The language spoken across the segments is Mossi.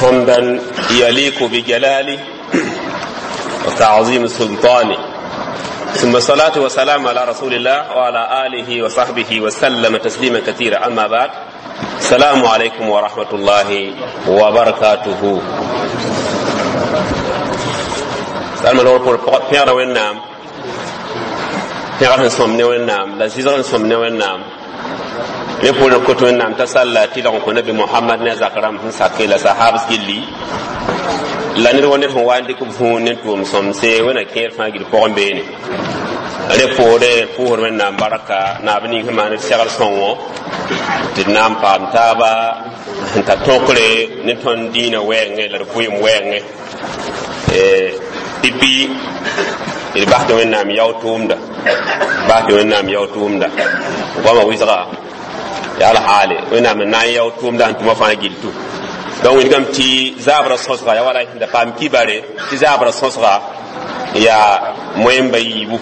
حمدا يليق بجلاله وتعظيم سلطانه، ثم الصلاة والسلام على رسول الله وعلى آله وصحبه وسلم تسليما كثيرا. أما بعد، السلام عليكم ورحمة الله وبركاته. Salma lor por pẽgda Wẽnnaam, pẽgr sẽn sõm ne Wẽnnaam la zɩsg sẽn sõm ne Wẽnnaam. Me pʋʋr kot Wẽnnaam t'a salla tɩlg n kõ Nabi Mohamad ne a zak rãmb sẽn sake la sahabs gilli la ned wa ned sẽn wa n dɩk võor ne tʋʋm sõmse Wẽnna kẽer fãa gil pʋgẽ beene. Rẽ poore pʋʋsd Wẽnnaam barka naab ning sẽn maan d segl sõngo tɩ d na n paam taaba sẽn ta tõkre ne tõnd dĩinã wɛɛngẽ la d vʋɩɩm wɛɛngẽ. Pipi d bas tɩ Wẽnnaam yao tʋʋmda, bas tɩ Wẽnnaam yao tʋʋmda goamã wɩsga yaa la haale Wẽnnaam n na n yao tʋʋmda sẽn tʋma fãa gil tʋ. Donc wilgame tɩ zabrã sõsga yaa wala sẽn da paam kibare tɩ zabrã sõsga yaa moẽmba yiibu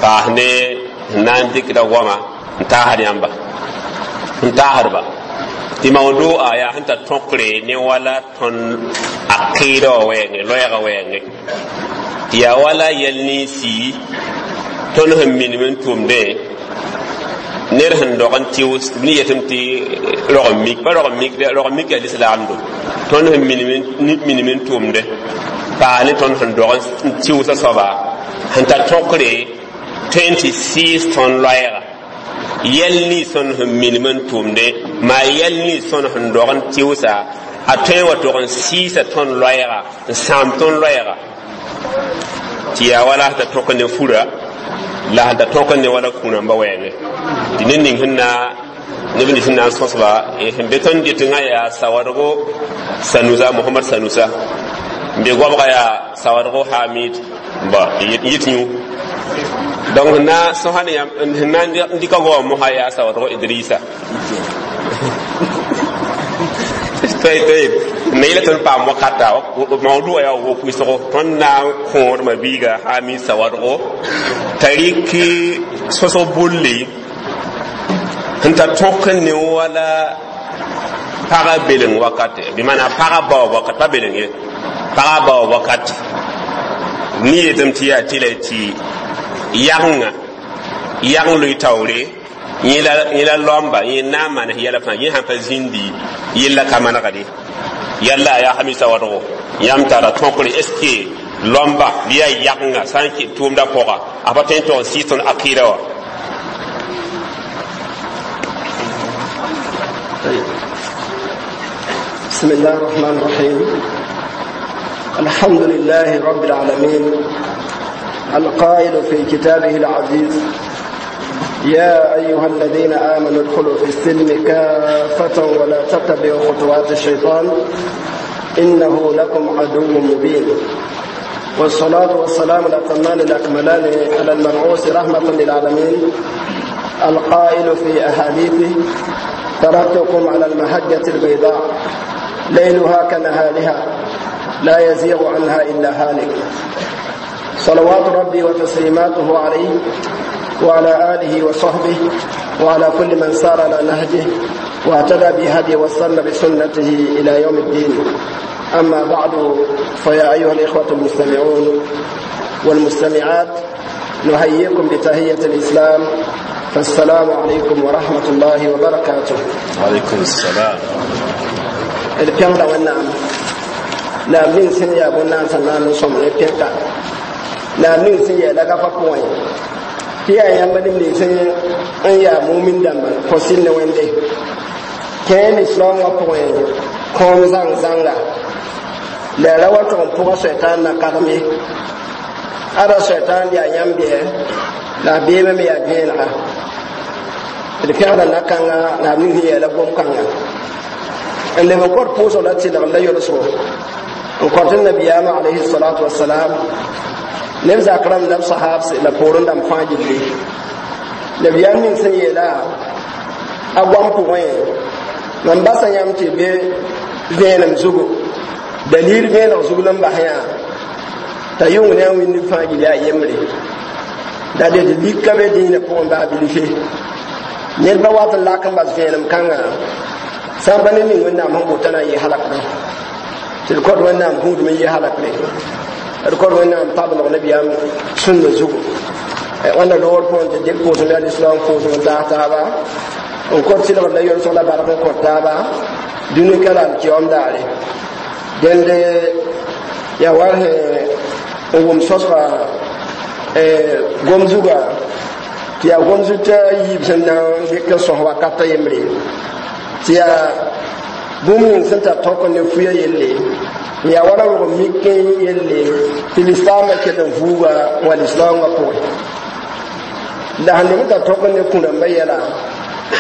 paas ne sẽn na n dɩkda goama n taasd yãmba n taasdba tɩ mawdu'a yaa sẽn ta tõkre ne wala tõnd aqɩɩda wã wɛɛngẽ, loɛɛgã wɛɛngẽ, tɩ yaa wala yɛl ninsi tõnd sẽn minim n tʋmdẽ ned sẽn dog n tɩʋs ne yetame tɩ rog n mik pa rog n mik, rog n mik yaa lislaamdo. Tõnd sẽn minim n tʋmdẽ paa ne tõnd sẽn dog n tɩʋsã soaba sẽn ta tõkre tõe n tɩ sɩɩs tõnd loɛɛga yɛl nins tõnd sẽn minim n tʋmdẽ maa yɛl nins tõnd sẽn dog n tɩʋsa a tõe n wa tog n sɩɩsa tõnd loɛɛga n sãam tõnd loɛɛga tɩ yaa wala sẽn ta tõk ne fura la sẽn ta tõk ne wala kũrãmba wɛɛngẽ tɩ ned ning sẽn na neb nins sẽn na n sõsba sẽn be tõnd dɩtngã yaa Sawadgo Sanusa, Mohamad Sanusa n be goabga yaa Sawadgo Hamid ba yit yũ. Donc sẽn na sõsa ne sẽn na n dɩka goamã mosã yaa Sawadgo Idrisa. طيب me yela tõnd paam wakata mawdu'a yaa wok wɩsgo tõnd na n kõodmã biiga Hamid Sawadgo t'a rɩk sõsg bulle sẽn ta tõk ne wala pagã beleng wakate, bɩ maana pagã baoog wakat, pa beleng ye, pagã baoog wakat ne yetame tɩ yaa tɩla tɩ yagenga yageng loe taoore yẽ la laoamba yẽ na n manes yɛla fãa yẽ sãn pa zĩndi yella ka manegde yalla yaa Hamisa Wadgo yãmb tara tõkre est ce que laoamba bɩ yaa yagenga sã n kɩ tʋʋmda pʋga a pa tõe n tog n sɩɩs tõnd aqɩɩda wã? طيب. بسم الله الرحمن الرحيم. الحمد لله رب العالمين، القائل في كتابه العزيز: يا أيها الذين آمنوا ادخلوا في السلم كافة ولا تتبعوا خطوات الشيطان إنه لكم عدو مبين. والصلاة والسلام الأتمان الأكملان على المبعوث رحمة للعالمين، القائل في أحاديثه: تركتكم على المحجة البيضاء ليلها كنهارها لا يزيغ عنها إلا هالك. صلوات ربي وتسليماته عليه وعلى آله وصحبه وعلى كل من سار على نهجه واهتدى بهديه واستنى بسنته إلى يوم الدين. أما بعد، فيا أيها الإخوة المستمعون والمستمعات، نحييكم بتحية الإسلام، فالسلام عليكم ورحمة الله وبركاته. وعليكم السلام. D pẽgda Wẽnnaam la b ning sẽn yaa bõn-naans n na n sõm ne pẽka la b ning sẽn yaa lagafa pʋgẽ tɩ yaa yãmb neb nins n yaa mumin dãmba kõ sɩl ne Wẽnde kẽe lislaam wã pʋgẽ kõom zãng zãnga la ya ra wa tʋg n pʋga soɛtaan na kagem ye ada soɛtaan yaa yãmb bɩɛ la a beemã me yaa vẽenega. D pẽgda na-kãnga la b ning sẽn yaa la gom-kãnga n leb n kõt pʋʋsg la tɩlgem la yolsgo n kõt nabiyaamã alayhi salatu wasalam neb zak rãmb la b sahabs la poorẽ dãmb fãa gilli. Nabiyaam ning sẽn yeela a goam pʋgẽ mam basa yãmb tɩ be vẽenem zugu dalil vẽeneg zug la n bas yã t'a yʋng ne a wĩndb fãa gil yaa yembre la ded lika be dĩinã pʋgẽ baa bilfe ned ba wat n lak n bas vẽenem kãngã sã n pa ne ning Wẽnnaam sẽn bota na n yɩ halakdã. Tɩ d kõt Wẽnnaam gũudum n yɩ halakre, d kõt Wẽnnaam pabelg nabiyaam sũnda zugu. Wãnda loogr pʋgẽ tɩ dɩk pʋʋsem yaa lislaam pʋʋsem n taas taaba, n kõt sɩlgd la yolsg la bark n kõt taaba dũni ka la alkiyom daare. Dẽnd yaa wa sẽn n wʋm sõsga gom zuga tɩ yaa gom zut a yiib sẽn na n dɩk n sõs wakat a yembre, tɩ yaa bũmb ning sẽn tar tõk ne fuya yelle, n yaa wala rog mik yelle tɩ lislaambã kell n vuuga n wa lislaoongã pʋgẽ. La sẽn leb n tar tõk ne kũ-rãmbã yɛla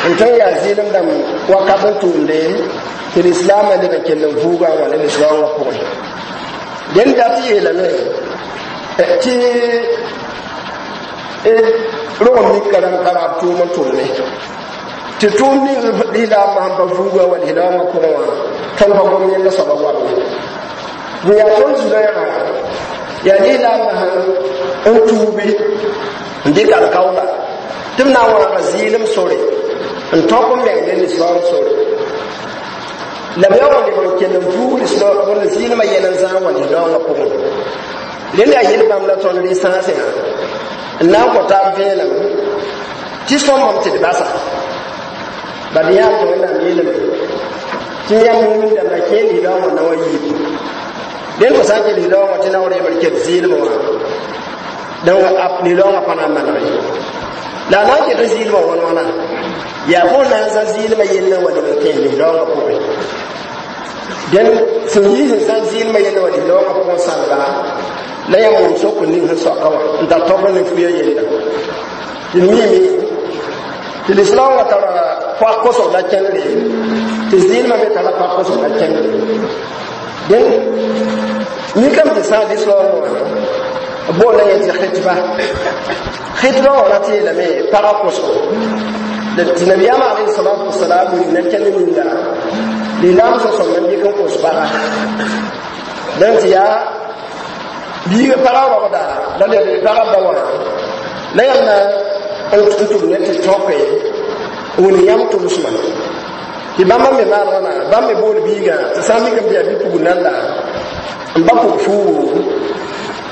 n tõe n yaa zɩɩlem dãmb wakat n tʋʋmde tɩ lislaamã leb n kell n vuuga n wa ne lislaoongã pʋgẽ. Dẽnd dat yeelame tɩ rog mika rãmb ka raab tʋʋm n tʋmne, tɩ tʋʋm ning lislaambã sẽn pa vuuga wa lislaoongã pʋgẽ wã, tõnd pa gom yẽnda soaba goamne. N yaa tõnd zugã yaa lislaambã sẽn n tuubi n dɩk alkaoola tɩ b na n wãaga zɩɩlem sore n tõk n meng ne lislaam sore, la b yaa wa leb n kell n vuug zɩɩlmã yɛl n zãag wa lislaoongã pʋgẽ. Rẽnd yaa yel bãmb la tõnd rɩ-sãasẽ n na n kõ taab vẽenem tɩ sõmbame tɩ d basa bad yãam tɩ Wẽnnaam yeelame tɩ yãmb wĩndame kẽ lislaoongã na wa yiib. Dẽnd fo sã n kẽ lislaoongã tɩ naoor yembr ket zɩɩlmã wã, donc lislaoongã pa na n maneg ye. La a na n ket zɩɩlmã wãn wãna yaa fo na n zã zɩɩlmã yell n wa leb n kẽ lislaoongã pʋgẽ. Dẽnd sẽn yɩ sẽn zã zɩɩlmã yell wa lislaoongã pʋgẽ sãlba la yãmb wʋm sok ning sẽn soaka wã n tar tõk ne fuya yella. Tɩ d miime tɩ lislaoongã tara poak kosg la kẽndre, tɩ zɩɩlmã me tara poak kosg la kẽndre. Dẽnd mikame tɩ sã lislaoongã wã boolã yẽ tɩ khɩtba, khɩtba wã rat yeelame pagã kosgo tɩ nabiyaamã alayhi salatu wasalam wilg na kẽnd ninga lislaam sõsem n dɩk n kos paga. Dẽn tɩ yaa biiga pagã rogda la leb pagã ba wã la yãmb na n tʋm ne tɩ tõke wʋn yãmb tʋmsmã tɩ bãmba me maan wãna. Bãmb me bool biigã tɩ sã n mikame tɩ yaa bi-pugl nanda n ba pʋg fuugu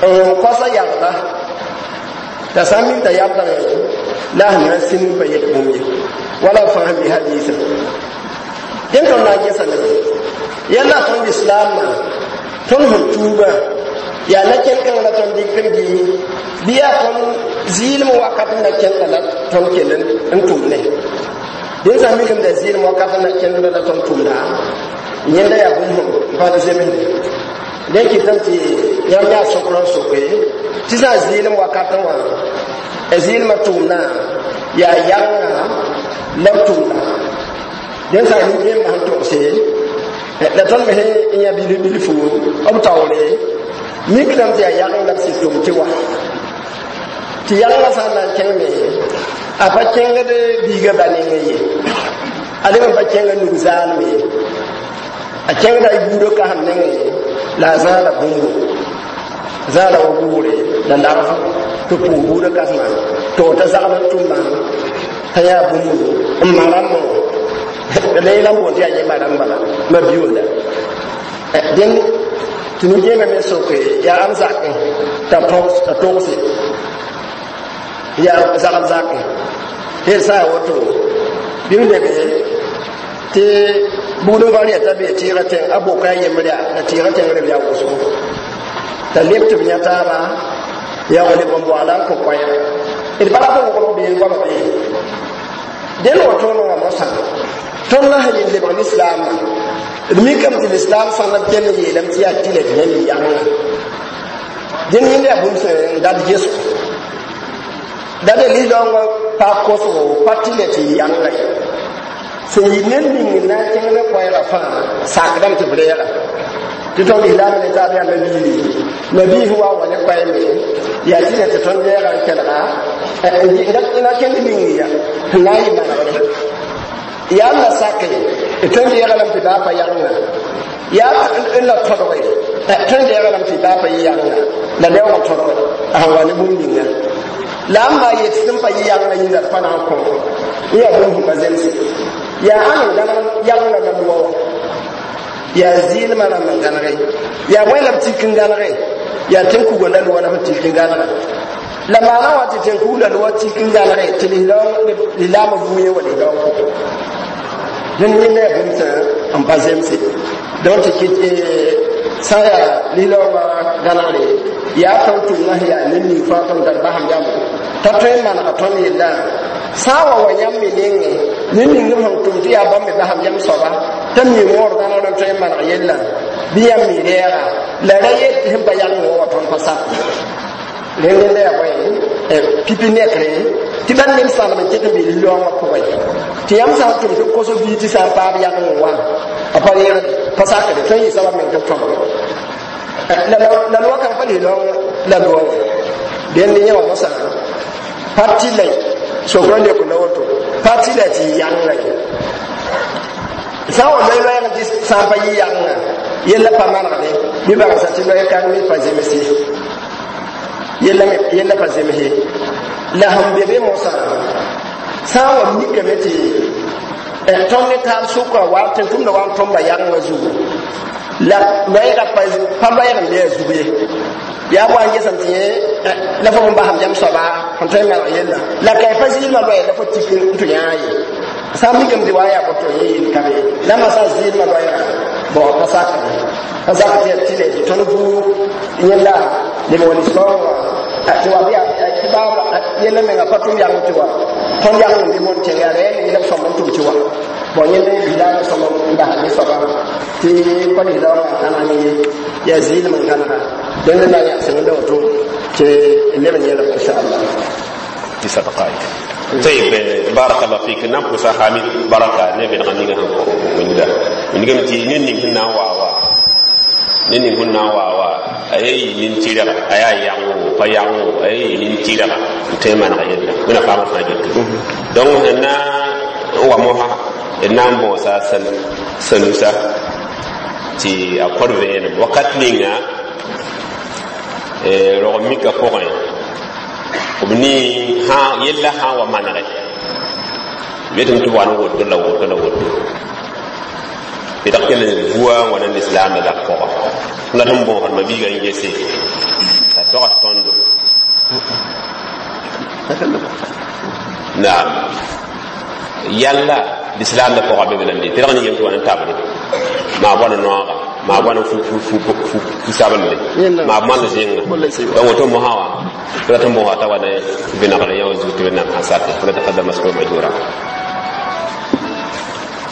n koasa yagda, t'a sã n mik t'a yabdame la a sẽn na n sĩnd n pa yet bũmb ye wala b fãa sẽn bɩ hadiisã. Dẽn tõnd na n gẽsame yãlla tõnd lislaamã tõnd sẽn tuuba yaa na kẽn-kãng la tõnd dɩk n bɩ bɩ yaa tõnd zɩɩlem wakat n na kẽnda la tõnd kell n tʋmne. Dẽn sã n mikame t'a zɩɩlem wakat n na kẽnda la tõnd tʋmda, yẽnda yaa bũmb sẽn pa zemsde. Dẽn kɩtame tɩ yãmb yaa sokr n soke tɩ sã zɩɩlem wakatẽ wã zɩɩlmã tʋʋmdã yaa yagenga la b tʋʋmda. Dẽn sã nin-kẽembã sẽn togse la tõnd me sẽn yã bilf bilfu b taoore mikdame tɩ yaa yageng la b sɩd tʋm tɩ wa tɩ yagengã sã n na n kẽng me a pa kẽngd biigã ba nengẽ ye, a leb n pa kẽnga nug zaalem ye, a kẽngda a buudã kasem nengẽ la a zãada bũmbu zãada wa buure la lagf tɩ pʋʋs buudã kãsema tɩ f ta zagl n tʋmã t'a yaa bũmbu n ma rãmbã wã la yẽla n boond tɩ yaa yẽ ma rãmb bala ma biooda. Dẽnd tɩ nin-kẽemã me soke yaa am zakẽ t'a togse yaa zagl zakẽ tɩ d sã n woto bɩ m lebe tɩ bugd n va rɛta bee tɩɩgã tẽng a boka a yembr yaa la tɩɩgã tẽng reb yaa wʋsgo t'a leb tɩ b yã taaba yaa wa leb n boaala n kõ koɛɛga d pa rat n wʋgl bee goama bee. Dẽnd wa tõnd wã mosã tõnd la sẽn yel lebg lislaamã, d mikame tɩ lislaam sãnd b kell n yeelame tɩ yaa tɩla tɩ yẽnd yagenga. Dẽnd yẽnda yaa bũmb sẽn dat gesgo dada lislaoongã pa kosgo pa tɩla tɩ yagenga ye sẽn yɩ ned ning n na n kẽng ne koɛɛgã fãa sakdame tɩ b reega tɩ tõnd lislaam ne taab yaa nabiiri nabiis wa wa ne koɛɛme yaa tɩla tɩ tõnd reega n kelga na kẽnd ning ya n na n yɩ manegre yaa n la sake tõnd reega lame tɩ baa pa yagenga yaa n la tõdge tõnd reega lame tɩ baa pa yɩ yagenga la leoogã tõdge a sẽn wa ne bũmb ninga la n maa yet sẽn pa yɩ yagenga yĩnga d pa na n kõ n yaa bũmb sẽn pa zemse yaa ãn n gãneg yagenga la noa wã. Yaa zɩɩlmã rãmb n gãnege, yaa wẽ la b tik n gãnege, yaa tẽn-kugã la loa la b tik n gãnega. La maana wã tɩ tẽn-kug la loa tik n gãnege tɩ lislaamã vuu yẽ wa lislaoong pʋgẽ. Dẽnd yẽnda yaa bũmb sã n pa zemse. Donc tɩ kɩt sã n yaa lislaoongã gãnegre, yaa tõnd tʋmdã sẽn yaa ned ning fãa tõnd tar basem yam t'a tõe n manega tõnd yellã sã n wa wa yãmb me nengẽ ned ning b sẽn tʋm tɩ yaa bãmb me basem yam soaba t'a mi wõor gãnegr n tõe n maneg yellã bɩ yãmb mi rɛɛga la ra yet sẽn pa yãng wã wa tõnd pa sak rẽnd yaa bõe pipi nekre tɩ bãmb neb sãnem n ket n be lislaoongã pʋgẽ tɩ yãmb sã n tʋm tɩ b kos bii tɩ sã n paam yãng wã a pa reegde pa sakde tõe n yɩ soaba meng tɩ b tõmge la loa kãng pa lislaoong la loa wã dẽnd yẽ wã mosã pa tɩ la sokrã leok la woto pa tɩ la tɩ yɩ yãnga ye sã n wa loe loɛɛg tɩ sã n pa yɩ yãnga yella pa manegde bɩ bagsa tɩ loɛɛ kãng me pa zemse yella pa zemse la sẽn be be mosã sã n wa mikame tɩ tõnd ne taab sʋka wa tɩ tʋmda wa n tõmba yãngã zugu la loɛɛga pa loɛɛg n be a zug ye yaa wa n gesem tɩ yẽ la fo n basem yam soaba sẽn tõe n maneg yella la ka pa zɩɩlmã loɛɛ la fo tik n tɩ yãa ye sã n mikame tɩ wa n yaa boto yẽ yel ka be la ma sã n zɩɩlmã loɛɛga bon pa sakre pa sak tɩ le tɩ tõnd buud yẽlla leb wa lislaoong wã tɩ wa bɩ tɩ baab yella menga pa tʋm yãng tɩ wa tõnd yãng n bɩ mon tẽng yaa rɛɛ ne b sõm n tʋm tɩ wa bon yẽnd lislaamã sõm n bas ne soaba tɩ pa lislaoongã gãneg ne ye yaa zɩɩlem n gãnega dẽnd la yãsem n da woto tɩ leb n yẽlem inchallah. تسع دقائق. طيب، بارك الله فيك. نعم، كوسا حامد بركة نبي نغني من ده من قام تي نين هنا وا وا نين هنا وا وا أي نين تيرا أي يانغو با يانغو أي نين تيرا تيمان غير من فاهم فاجت donc na wa moha na mbosa san sanusa ti a korve wakat ninga rog mika pʋgẽ b ni hã yella sã n wa manege betame tɩ b wa n woto la woto la woto bɩ kell n vua n wa na lislaamda la pʋga la sẽn bõosd ma-biigã n gese la togs tõndo naam yalla lislaamda pʋga be be lamde tɩ rag ne yem tɩ wa n tabre maa bõna noaga maa bõna fu sablde maa bõnd zẽnga donc woto mosã wã tɩ rat n bõosa t'a wa ne vẽnegre yã wã zug tɩ wẽnnaam sã sake fo la taqaddam maskur majura.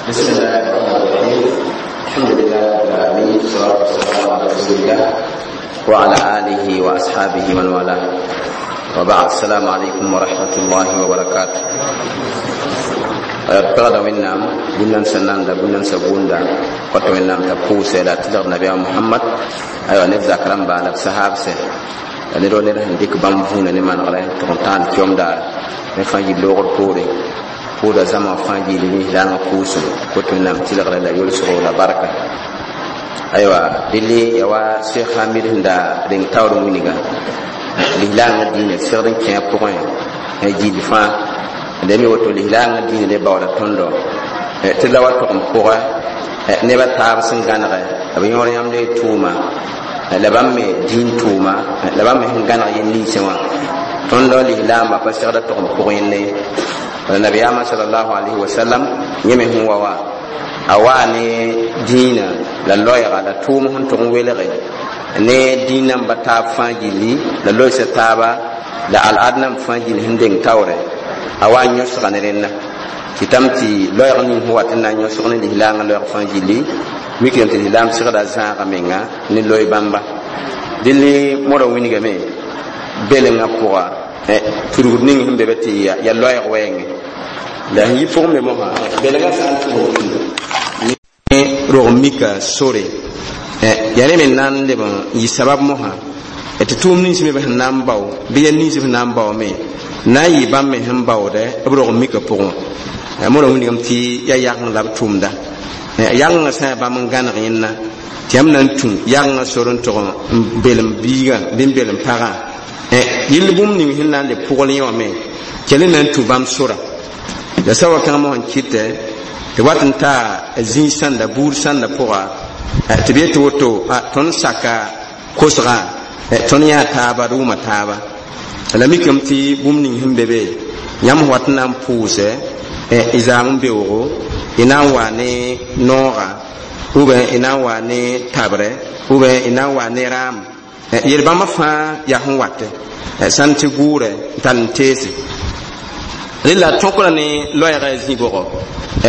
بسم الله الرحمن الرحيم، الحمد لله رب العالمين، والصلاة والسلام على رسول الله وعلى آله وأصحابه من والاه، وبعد، السلام عليكم ورحمة الله وبركاته. Pɛgda Wẽnnaam bũn sẽn nanda bũn sã gũnda kõt Wẽnnaam t'a pʋʋsɛ la tɩlg nabiyaam Mohamad aywa neb zak rãmba la b sahaabsɛ la ned wa ned sẽn dɩk bãmb vũuna ne manegrɛ tɩg n tãan kiomdaar ne fãa yɩ loogr poore pʋʋda zãma fãa gilli lislaangã pʋʋsem kot Wẽnnaam tɩlgrɛ la yolsgo la barka. Aywa dɩlɩ ya wa Sheikh Hamid sẽn da reng taoor wĩnga lislaangã diinã segd n kẽ a pʋgẽ gilli fãa da mi woto lislaangã diinã le baooda tõndo tɩ la wa tog n pʋgɛ nebã taab sẽn gãnegɛ b yõor yãmb le tʋʋma la bãmb me dĩin tʋʋma la bãmb me sẽn gãneg yel ninsẽ wã tõndɔ lislaambã pa segda tog n pʋg yẽnde ye. La nabiyaamã salallahu alayhi wasallam yẽ me sẽn wa wã a waa ne dĩinã la loɛɛga la tʋʋm sẽn tʋg n welge ne dĩin-nambã taab fãa gilli la loɛɛsa taaba la al'ad namb fãa gill sẽn deng taoorɛ a wa n yõsga ne rẽnda tɩ tame tɩ loɛɛg ning sẽn wat n na n yõsg ne lislaangã loɛɛg fãa gilli mikame tɩ lislaam segda zãaga menga ne loe bãmba dɩl modã wingame belengã pʋga tudgd ning sẽn be be tɩ ya loɛɛg wɛɛngẽ la sẽn yi pʋgẽ me mosã belgã sã n tʋgd ne rog mika sore yaa ne me n na n leb n yɩ sabab mosã tɩ tʋʋm nins me sẽn na n bao bɩ yɛl nins sẽn na n baoome na n yɩ bãmb me sẽn baoodɛ b rog mika pʋgẽ modã wingame tɩ yaa yageng la b tʋʋmda yagengã sã yaa bãmb n gãneg yẽnna tɩ yãmb na n tũ yagengã sor n tʋg n belem biigã bɩ n belem pagã yɩl bũmb ning sẽn na n le pʋgl yẽ wã me kell n na n tũ bãmb sora la sa wakãng mosã n kɩtɛ tɩ wat n taa zĩig sãnda buud sãnda pʋga. Tɩ b yet woto tõnd saka kosgã, tõnd yãa taaba, d wʋma taaba. La mikame tɩ bũmb ning sẽn be be yãmb wat n na n pʋʋsɛ y zaam n beoogo, y na n wa ne nooga, ou bien y na n wa ne tabrɛ, ou bien y na n wa ne raam. Yel-bãmba fãa yaa sẽn watɛ sãn tɩ gʋʋrɛ n tar n teese. Rela tõkra ne loɛɛga zĩ-bʋgɔ.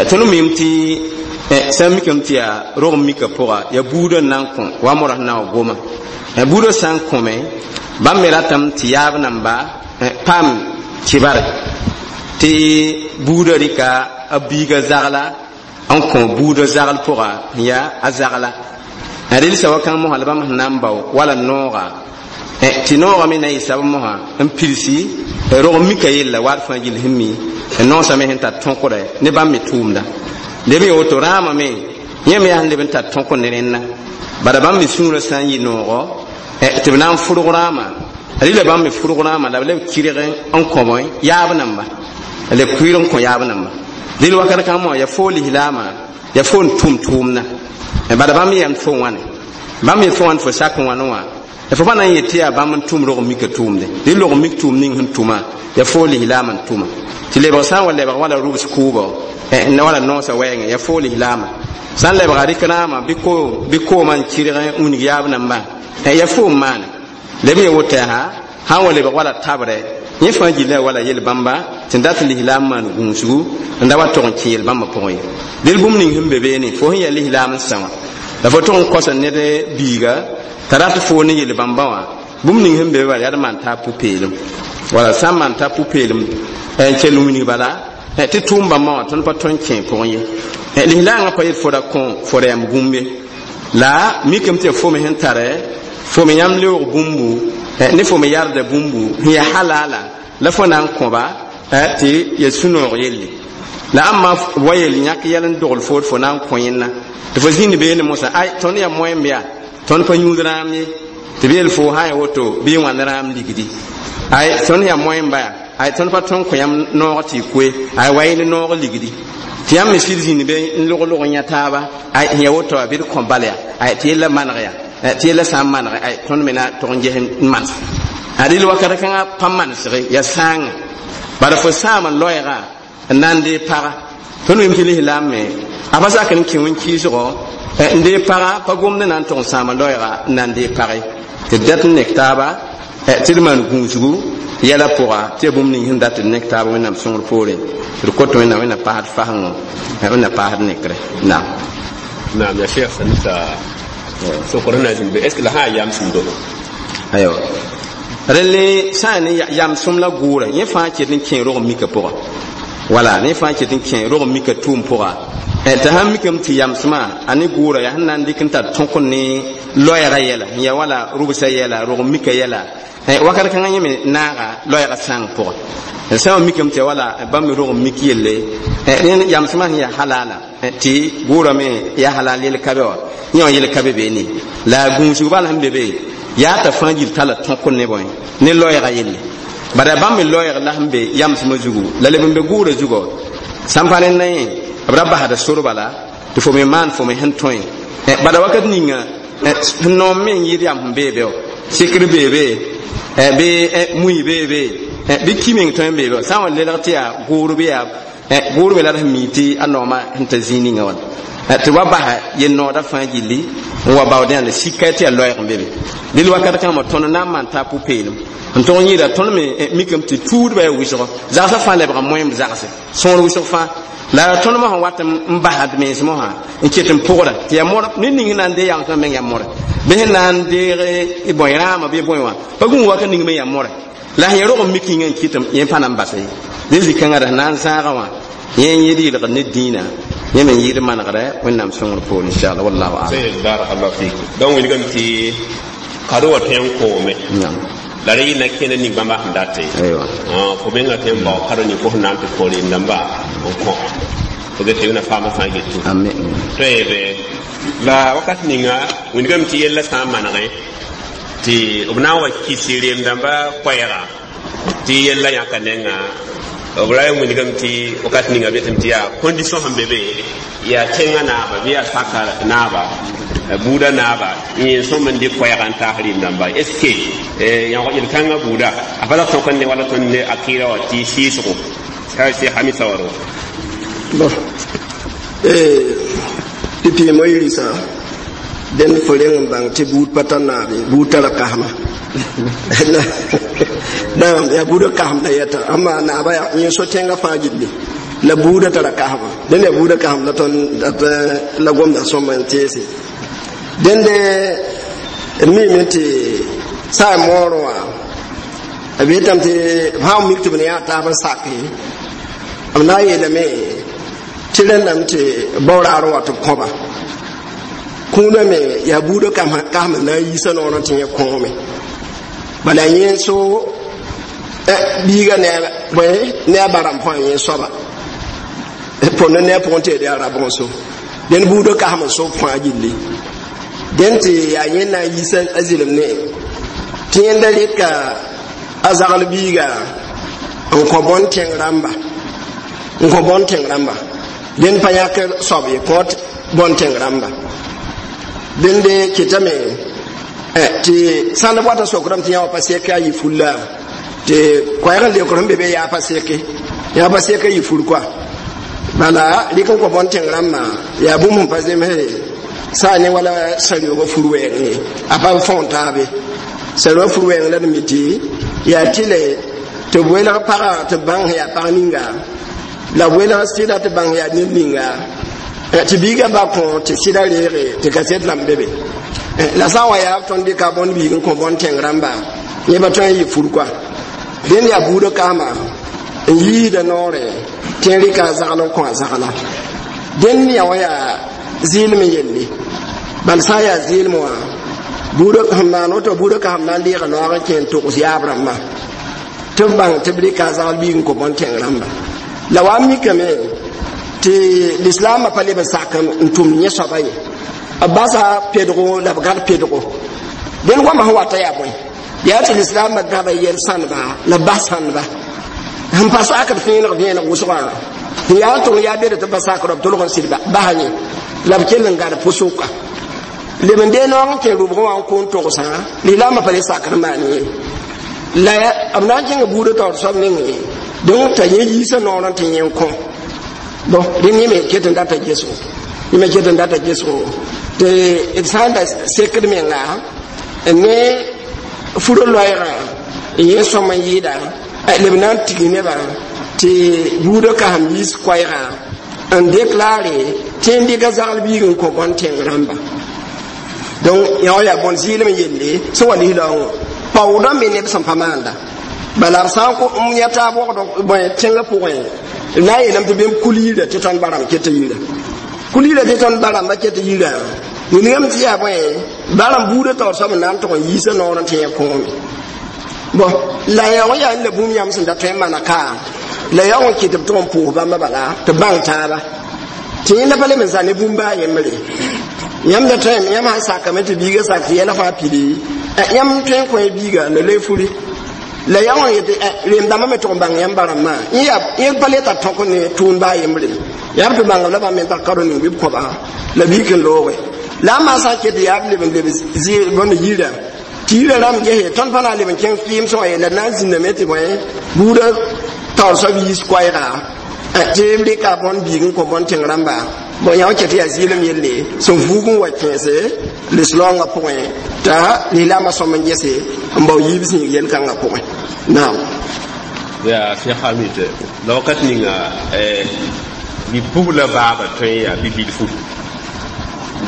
Tõnd mim tɩ sã n mikame tɩ yaa rog n mika pʋga, yaa buudã n na n kõ wa modã sẽn na n wa goma. Buudã sã n kõme, bãmb me ratame tɩ yaab namba paam kibare tɩ buudã rɩka a biiga zagla n kõ buudã zagl pʋga n yaa a zagla. Rɩlsa wakãng mosã la bãmb sẽn na n bao wala nooga, tɩ noogã me na n yɩ sab mosã n pilsi rog n mika yella waat fãa gill sẽn mi noosã me sẽn tar tõkdɛ ne bãmb me tʋʋmda. Leb n woto rãamã me yẽ me yaa sẽn leb n tar tõk ne rẽnna. Bala bãmb me sũurã sã n yɩ noogɔ tɩ b na n fʋrg rãamã, rɩla bãmb me fʋrg rãamã la b leb kɩrg n kõ bõe yaab namba, leb kuiir n kõ yaab namba. Dẽl wakat kãng mosã yaa foo lislaamã, yaa fo n tʋm tʋʋmdã. Bala bãmb yam fo wãne, bãmb yet fo wãn fo sak n wãne wã, fo pa na n yet tɩ yaa bãmb n tʋm rog n mika tʋʋmde. Dẽ log n mik tʋʋm ning sẽn tʋma, yaa foo lislaamã n tʋma. Tɩ lebg sã n wa lebg wala rubs kʋʋbɔ, wala noosã wɛɛngẽ, yaa foo lislaamã. Sã n lebga rɩk rãamã bɩ koomã n kɩrg n wilg yaab nambã, yaa foo n maane. Leb n ye woto yaa sã n wa lebg wala tabrɛ, yẽ fãa gilla wala yel-bãmba tɩ n dat lislaam maan gũusgu n da wa tog n kẽ yel-bãmbã pʋgẽ ye. Dẽl bũmb ning sẽn be beene, fo sẽn yaa lislaam n sã wã, la fo tog n kosa ned biiga t'a rat foo ne yel-bãmbã wã, bũmb ning sẽn be be bala yaa d maan taab pʋ-peelem. Wala sã n maan taab pʋ-peelem n kell n wilg bala tɩ tʋʋm bãmbã wã tõnd pa tõe n kẽ pʋgẽ ye. Lislaangã pa yet fo ra kõ fo ra yam gũmbe, la mikame tɩ yaa fo me sẽn tare fo me yãmb leoog bũmbu ne fo me yarda bũmbu sẽn yaa halala la fo na n kõba tɩ ya sũ-noog yelle. La ãmba wa yel yãk yɛl n dogl foor fo na n kõ yẽnna tɩ fo zĩnd beene mosã, ay tõnd yaa moẽmb yaa tõnd pa yũud rãam ye, tɩ b yel fo sã ya woto bɩ y wãnd rãam ligdi. Ay tõnd yaa moẽmba yaa, ay tõnd pa tõn kõ yãmb noog tɩ y koe, ay wa yẽ ne noog ligdi. Tɩ yãmb me sɩd zĩnd be n log-log n yã taaba, ay sẽn ya woto wã bɩ d kõ bal yaa, ay tɩ yella maneg yaa, tɩ yella sã n manege, ay tõnd me na tog n ges n manes. A rɩl wakat kãngã pa manesge, yaa sãanga. Bala fo sãam n loɛɛga n na n deeg paga. Tõnd wɩm tɩ lislaam me a pa sak n kẽ wẽn-kɩɩsgɔ n deeg paga, pa gomd na n tog n sãam n loɛɛga n na n deeg page. Tɩ d dat n nek taaba tɩ d maan gũusgu yɛla pʋga, tɩ yaa bũmb ning sẽn dat d nek taaba Wẽnnaam sõngr poorẽ. Tɩ d kot Wẽnnaam, Wẽnnaam paasd fasengõ, Wẽnnaam paasd nekrɛ. Naam. Naam, ya Cheikh Sanita sokr na zĩnd be, est ce que la sã n yam sũndo? Aywa, rẽlle sã n ne yamsem la gʋʋrã, yẽ fãa ket n kẽ rog n mika pʋga, wala ne fãa ket n kẽ rog n mika tʋʋm pʋga. T'a sãn mikame tɩ yamsmã a ne gʋʋra yaa sẽn na n dɩk n tar tõk ne loɛɛga yɛla n yaa wala rʋbsã yɛla, rog n mika yɛla, wakat kãngã yẽ me naaga loɛɛga sãng pʋga. Sã n mikame tɩ yaa wala bãmb me rog n mik yelle, yamsmã sẽn yaa halala tɩ gʋʋra me yaa halal yel ka be wã, yẽ wã yel ka be beene. La gũusg bal sẽn be be yaa t'a fãa gill talla tõk ne bõe ne loɛɛga yelle. Bara bãmb me loɛɛg la sẽn be yamsmã zugu la leb n be gʋʋra zugɔ, sãn pa rẽnda yẽ b ra basda sor bala tɩ fo me maan fo me sẽn tõe. Bala wakat ninga sẽn noom me n yɩɩd yam sẽn bee be wã, sɩkr bee be, bɩ mui bee be, bɩ ki meng tõe n bee be, sã n wa lelg tɩ yaa gʋʋr bɩ yaa gʋʋr me la d sẽn mi tɩ a noomã sẽn ta zĩig ninga wãna, tɩ wa basa yel-noodã fãa gilli n wa baood yãnd sika tɩ yaa loɛɛg n be be. Dẽl wakat kãngã tõnd na n maan taab pʋ-peelem n tog n yɩɩda tõnd me mikame tɩ tuudbã yaa wɩsgɔ zagsã fãa lebga moẽmb zagse sõor wɩsg fãa. La tõnd mosã wat n basd mens mosã n ket n pʋgda tɩ yaa modb ned ning sẽn na n deeg yamsmã meng yaa modr, bɩ sẽn na n deeg bõe rãamã bɩ bõe wã pa gũus wakat ning me yaa modr, la sẽn yaa rog n mik yĩngã n kɩtem yẽ pa na n basa ye. Dẽ zĩ-kãngã ra sẽn na n zãagã wã yẽ n yɩɩd yɩlgd ne dĩinã, yẽ me n yɩɩd manegrɛ Wẽnnaam sõngr poor, inchallah, wallahu alam. Barakallahu fik. Donc wilgame tɩ kado wa tõe n koome la rẽ yɩ na kẽnd ning bãmba sẽn date fo menga tõe n bao kado ning fo sẽn na n tɩ kõ rem-dãmba n kõ fo get tɩ wẽna faamã fãa getu tõeebe. La wakat ninga wilgame tɩ yella sã n manegẽ tɩ b na n wa kɩs rem-dãmba koɛɛga tɩ yella yãka nenga, b ra n wilgame tɩ wakat ninga b yetame tɩ yaa condition sẽn be be, yaa tẽngã naaba bɩ yaa saka naaba Buudã naaba yẽ sõm n dɩk koɛɛga n taas rɩɩm-dãmba. Est ce que yãog yel-kãngã buuda a pa la tõk n ne wala tõnd ne akɩɩra wã tɩ sɩɩsgo sɩ hamisa wa ro? Bon, tɩ pɩɩmõ yirisã dẽnd fo reng n bãng tɩ buud pa tar naabe, buud tara kasma. Naam, yaa buudã kasem la yɛta ãmba naaba yẽ so tẽngã fãa gilli la buudã tara kasma. Dẽnd yaa buudã kasem la tõnd la gomda sõma n teese. Dẽnde d miime tɩ saa moorẽ wã b yetame tɩ sã n mik tɩ b ne yaa taab n sake, b na n yeelame tɩ rẽndame tɩ bao-raarẽ wa tɩ b kõba kũunã me yaa buudã kasem n na n yiisa noorẽ tɩ yẽ kõome. Bala yẽ so biiga ne a barame fãa yẽ soaba põnd ne a pʋgẽ tɩ yaa rabg so. Dẽnd buudã kasem n sob fãa gilli. Dẽn tɩ yaa yẽ na n yiisa a zɩlem ne tɩ yẽnda rɩka a zagl biiga n kõ bõn tẽng rãmba, n kõ bõn tẽng rãmba. Dẽnd pa yãk soab ye kõ bõn tẽng rãmba. Dẽnde kɩtame tɩ sãn b wata sokrame tɩ yã wã pa sek a yɩ fulla tɩ koɛɛg n leokr sẽn be be yaa pa seke, yaa pa sek yɩ fur koa. Bala rɩk n kõ bõn tẽng rãmbã yaa bũmb sẽn pa zemse saa ne wala sã-rɩoogã fur wɛɛng ye, a pa fõon taabe. Sã-rɩoogã fur wɛɛng la d mi tɩ yaa tɩlɛ tɩ b welg pagã tɩ b bãng sẽn yaa pag ninga, la b welg sɩda tɩ bãng yaa ned ninga, tɩ biigã ba kõ tɩ sɩda reege tɩ kaset rãmb be be. La sã n wa yaa tõnd dɩka bõn biig n kõ bõn tẽng rãmba, yẽ pa tõe n yɩ fur koa. Dẽnd yaa buudã kaama n yiida noorẽ tɩ n rɩka a zagl n kõ a zagla. Dẽnd yã wã yaa zɩɩlem n yelle. Bal sã n yaa zɩɩlem wã buudã sẽn maan woto, buudã kaam na n deega noog n kẽ n togs yaab rãmbã tɩ b bãng tɩ b rɩka a zagl biig n kõ bõn tẽng rãmba. La wa n mikame tɩ lislaamã pa leb n sak n tʋmd yẽ soaba ye, b basa pedgo la b gãd pedgo. Dẽnd goamã sẽn wata yaa bõe? Yaa tɩ lislaamã gãda yɛl sãndba la b bas sãndba sẽn pa sakd fẽeneg vẽeneg wʋsgã sẽn yaa n tʋng yaa bed tɩ b pa sakd b tolg n sɩd basa yẽ la b kell n gãd pʋsʋka leb n dee noog n kẽ rʋbgẽ wã n kʋʋn togsã. Lislaamã pa le sakd n maan ye la b na n kẽnga buudã taoor soab nengẽ donc t'a yẽ yiisa noorẽ tɩ yẽ n kõ. Bon, dẽnd yẽ me ket n data gesgo, yẽ me ket n data gesgo tɩ d sã n da sekd menga ne furo loɛɛgã yẽ sõm n yɩɩda leb na n tig nebã tɩ buudã kasem yiis koɛɛgã n deklaare tɩ n dɩka zagl biig n kõ bõn tẽng rãmba. Donc yã wã yaa bõn zɩɩlem yelle sẽn wa lislaoongã paoodã me neb sẽn pa maanda. Bala b sã n yã taab wogd bõe tẽngã pʋgẽ na n yeelame tɩ bẽmb kul yirã tɩ tõnd barame ket yirã, kul yirã tɩ tõnd baramba ket yirã wilgame tɩ yaa bõe barame buudã taoor soab n na n tʋg n yiisa noorẽ tɩ yẽ kõome. Bon, la yã wã yaa la bũmb yãmb sẽn da tõe n mana ka la yã wã kɩ tɩ b tʋg n pʋʋs bãmba bala tɩ b bãng taaba tɩ yẽnda pa leb n zã ne bũmb baa yembre. Yãmb da tõe yãmb sãn sakame tɩ biigã sak tɩ yɛla fãa pili, yãmb tõe n kõ biiga la loe furi la yã wã yetɩ reem-dãmbã me tʋg n bãng yãmb barãmbã yẽ pa le tar tõk ne tʋʋm baa yembre yaa b tɩ bãngb la bãmb me tar karo ning bɩ b kõba la biig n looge la a maa sã n ket yaa b leb n leb bõnd yirã tɩ yirã rãmb gese tõnd pa na n leb n kẽng kɩɩm sõa ye la na n zĩndame tɩ bõe buudã taoor soab yiis koɛɛga tɩ b rɩka bõn biig n kõ bõn tẽng rãmba. Bon, yã wã ket yaa zɩɩlem yelle sẽn vuug n wa kẽese lislaoongã pʋgẽ t'a lislaamã sõm n gese n bao yiib zĩig yel-kãngã pʋgẽ. Naam. Yaa Sẽn Hamid la wakat ninga bi-pugla baaba tõe yaa bi-bilfu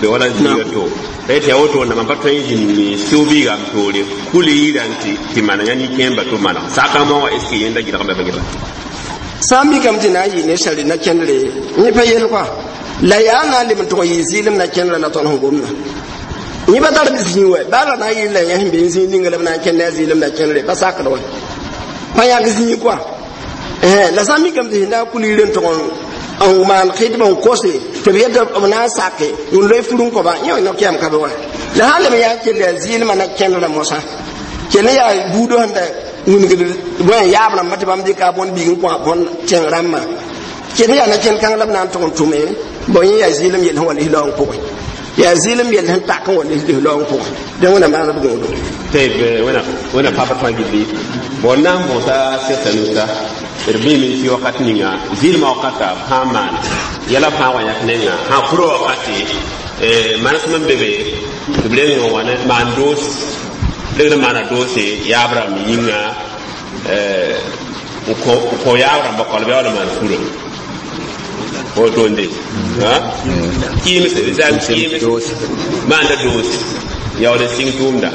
be wala zĩiga to la yetɩ yaa woto wẽnnaam pa tõe n zĩnd sɩʋ biiga m toore kul yirã tɩ mana yã nin-kẽemba tɩ maneg sakãmã wã est ce que yẽnda gɩlgmã ba gɩlga? Sã n mikame tɩ na n yɩ ne sari na kẽndre yẽ pa yel koa la yaa na n leb n tʋg n yɩ zɩɩlem na kẽndrã la tõnd sẽn gomda yẽ pa tar zĩig wɛ baa la na n yɩ la yẽ sẽn be n zĩig ninga la b na n kẽnd ne a zɩɩlem na kẽndre pa sakd wɛ pa yãk zĩig koa. La sã n mikame tɩ sẽn na n kul yir n tʋg n maan khidb n kose tɩ b yeta b na n sake n loe fur n kõba yẽ no-kɛɛm ka be wa la sã n leb n yaa kell yaa zɩɩlmã na kẽndrã mosã kell yaa buudã sẽn da wingd bõe yaab rãmbã tɩ bãmb dɩka bõn biig n kõ bõn tẽng rãmbã kell yaa na kẽnd kãng la b na n tʋg n tʋme. Bon, yẽ yaa zɩɩlem yell sẽn wa lislaoong pʋgẽ. Yaa zɩɩlem yell sẽn tak n wa lislaoong pʋgẽ dẽ wẽnnaam maan b gũudu. Tɩ wẽna papa fãa gilli bon na n bõsa sɩgsa nusa d bɩme tɩ wakat ninga zɩɩlmã wakata b sã n maan yɛla b sã n wa yãk nenga sã pʋrã wakate manesem n be be tɩ b reng n wa ne maan doos regd n maana doose yaab rãmb yĩnga n kõ yaab rãmba kɔl bɩ a wala maan furã wotonde kɩɩms zam kɩɩms maanda doose yaool n sɩng tʋʋmda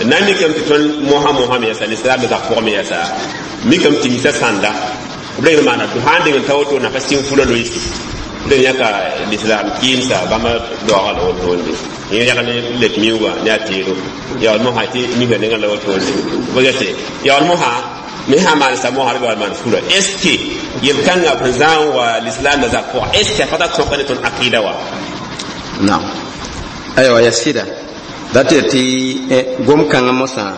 na n mikame tɩ tõnd mosã mosã me yɛsa lislaam zak pʋgẽ me yɛsa mikame tɩ misa sãnda b reng n maana sã n deng n ta woto na pa sɩng furã loeesi b reng yãka lislaam kɩɩmsa bãmba daooga la wotonde yẽ yag ne lep miuugã ne a teedo yaool mosã tɩ misã nengã la wotonde b gete yaool mosã me sã maan sa mosã b yaool maan furã est ce que yel-kãngã b sẽn zã n wa lislaam da zak pʋgã est ce que a pa ta tõka ne tõnd akida wa? Naam, aywa, ya sɩda dat tɩ tɩ gom-kãngã mosã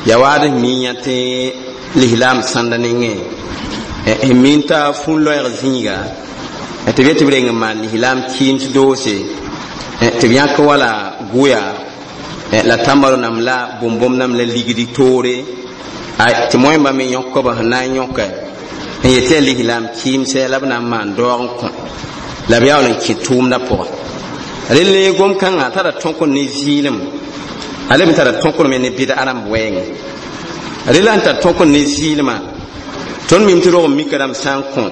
ya waad n mi yã tɩ lislaam sãnda nengẽ n min t'a fũn-loɛɛg zĩiga tɩ b yet tɩ b reng n maan lislaam kɩɩms doose tɩ b yãk wala gʋya la tãmbaro nam la bõm-bõm nam la ligdi toore tɩ moẽmba me yõkba sẽn na n yõka n yet yaa lislaam kɩɩmsɛ la b na n maan daoog n kõ la b yaool n kẽ tʋʋmdã pʋga. Relle gom-kãngã tara tõk ne zɩɩlem, a leb n tara tõk me ne bɩd rãmb wɛɛngẽ. Rela n tar tõk ne zɩɩlmã, tõnd mim tɩ rog n mika rãmb sã n kõ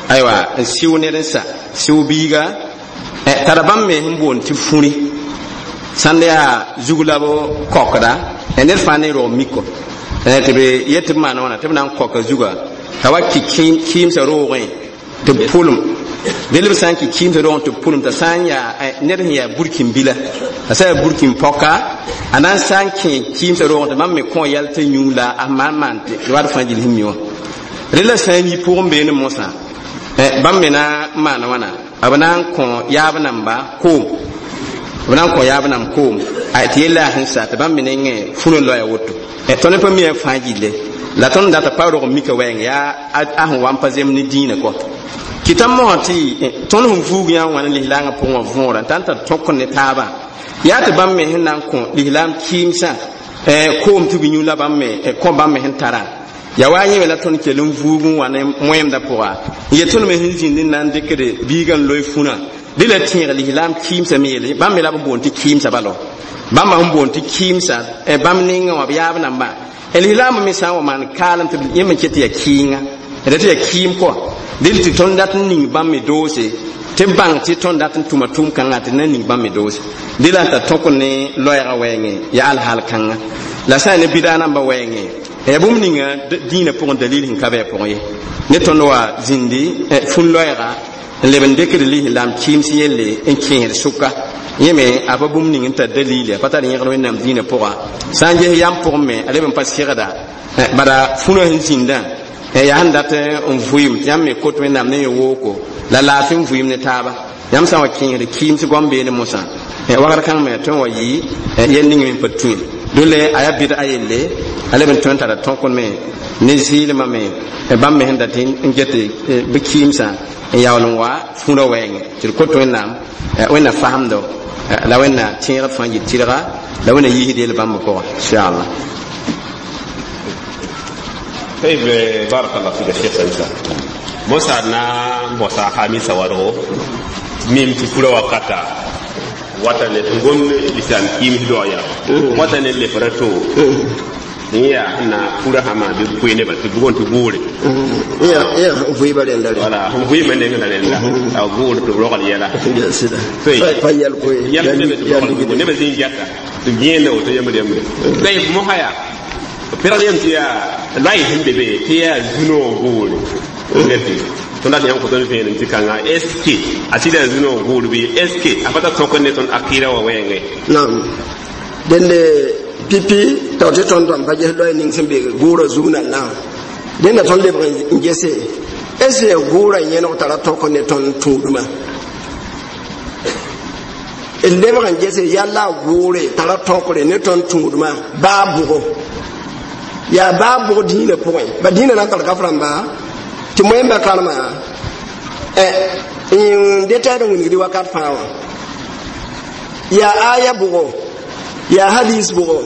aywa n sɩʋ ned n sa sɩʋ biiga tara bãmb me sẽn boond tɩ fũri sãnd yaa zug la b kokda ned fãa ne rog miko tɩ b yet tɩ b maan wãna tɩ b na n koka zuga t'a wa kɩ kɩɩmsã roogẽ tɩ b pʋlem del b sã n kɩ kɩɩmsã roogẽ tɩ b pʋlem t'a sã n yaa ned sẽn yaa burkin-bila t'a sã n yaa burkin-pɔka a na n sã n kẽ kɩɩmsã roogẽ tɩ bãmb me kõ yɛl tɩ yũ la a maan maan tɩ wat fãa gill sẽn mi wã. Rela sã n yi pʋgẽ beene mosã bãmb me na n maan wãna b na n kõ yaab namba koom, b na n kõ yaab namb koom tɩ yella yaa sẽn sa tɩ bãmb me nengẽ fũnã loya woto. Tõnd pa mi a fãa gille la tõnd data pa rog n mika wɛɛng yaa a sẽn wa n pa zem ne dĩinã kɔ kɩta mosã tɩ tõnd sẽn vuug yã n wã ne lislaangã pʋgẽ wã võora n tar tar tõk ne taabã yaa tɩ bãmb me sẽn na n kõ lislaam kɩɩmsã koom tɩ b yũ la bãmb me kõ bãmb me sẽn tarã ya wa yẽ me la tõnd kell n vuug n wa ne moẽmdã pʋga n yet tõnd me sẽn zĩnd n na n dɩkd biigã n loe fũnã dɩ la tẽeg lislaam kɩɩmsã me yeele bãmb me la b boond tɩ kɩɩmsã balo bãmba sẽn boond tɩ kɩɩmsã bãmb nengã wã b yaab nambã lislaambã me sã n wa maan kaalem tɩ yẽ me ket tɩ yaa kɩɩnga d tɩ yaa kɩɩm kɔa dɩl tɩ tõnd dat n ning bãmb me doose tɩ bãng tɩ tõnd dat n tʋma tʋʋm-kãngã tɩ na ning bãmb me doose dɩ la n tar tõk ne loɛɛgã wɛɛngẽ yaa alhaal kãnga la sã n ne bɩda nambã wɛɛngẽ yaa bũmb ninga dĩinã pʋgẽ dalil sẽn ka bɩ a pʋgẽ ye ne tõnd wa zĩndi fũn-loɛɛga n leb n dɩkd lislaam kɩɩms yelle n kẽesd sʋka yẽ me a pa bũmb ning n tar dalile a pa tar yẽgd wẽnnaam dĩinã pʋga sã n ges yam pʋgẽ me a leb n pa sɩgda bala fũnã sẽn zĩndã yaa sẽn dat n vʋɩɩm tɩ yãmb me kot wẽnnaam ne wooko la laafɩ n vʋɩɩm ne taaba yãmb sã n wa kẽesd kɩɩms goam beene mosã wagr kãng me tõe n wa yɩ yɛl ning me n pa tũ dole a yaa bɩd a yelle a leb n tõe n tara tõk me ne zɩɩlmã me bãmb me sẽn dat n get bɩ kɩɩmsã n yaool n wa fũrã wɛɛngẽ tɩ d kot wẽnnaam wẽnna fasemdo la wẽnna tẽegd fãa yɩ tɩrga la wẽnna yiisd yel bãmb pʋga inchallah. طيب بارك الله فيك الشيخ سمسا موسى نا موسى خامسة ورغو ميم تفورا وقتا وطن تنقوم لسان كيم دويا وطن اللي فرتو ya na fura hama bi kuine ba bugon tu gure ya ya vui ba renda wala hum vui men ne renda a gure to rogal yela sida fa yal ko yal ne be ne be zin jata to gene o to yemde yemde tay mo haya pera yem ti ya lai himbe be ti ya zuno gure ngati to nda yam ko ton fe ti kanga sk a ti da zuno gure bi sk a fata to ko ne ton akira wa wenge nam dende pipi tao tɩ tõnd rãmb pa ges loɛɛ ning sẽn be gʋʋrã zug na naam dẽnda tõnd lebg n gese est ce gʋʋrã yẽneg tara tõk ne tõnd tũudmã d lebg n gese yalla gʋʋre tara tõkre ne tõnd tũudmã baa bʋgo yaa baa bʋg dĩinã pʋgẽ ba dĩinã na n tar kaf rãmba tɩ moẽmba karema n detɛɛd n wilgdi wakat fãa wã Yaa aya bʋgɔ, yaa hadis bʋgɔ,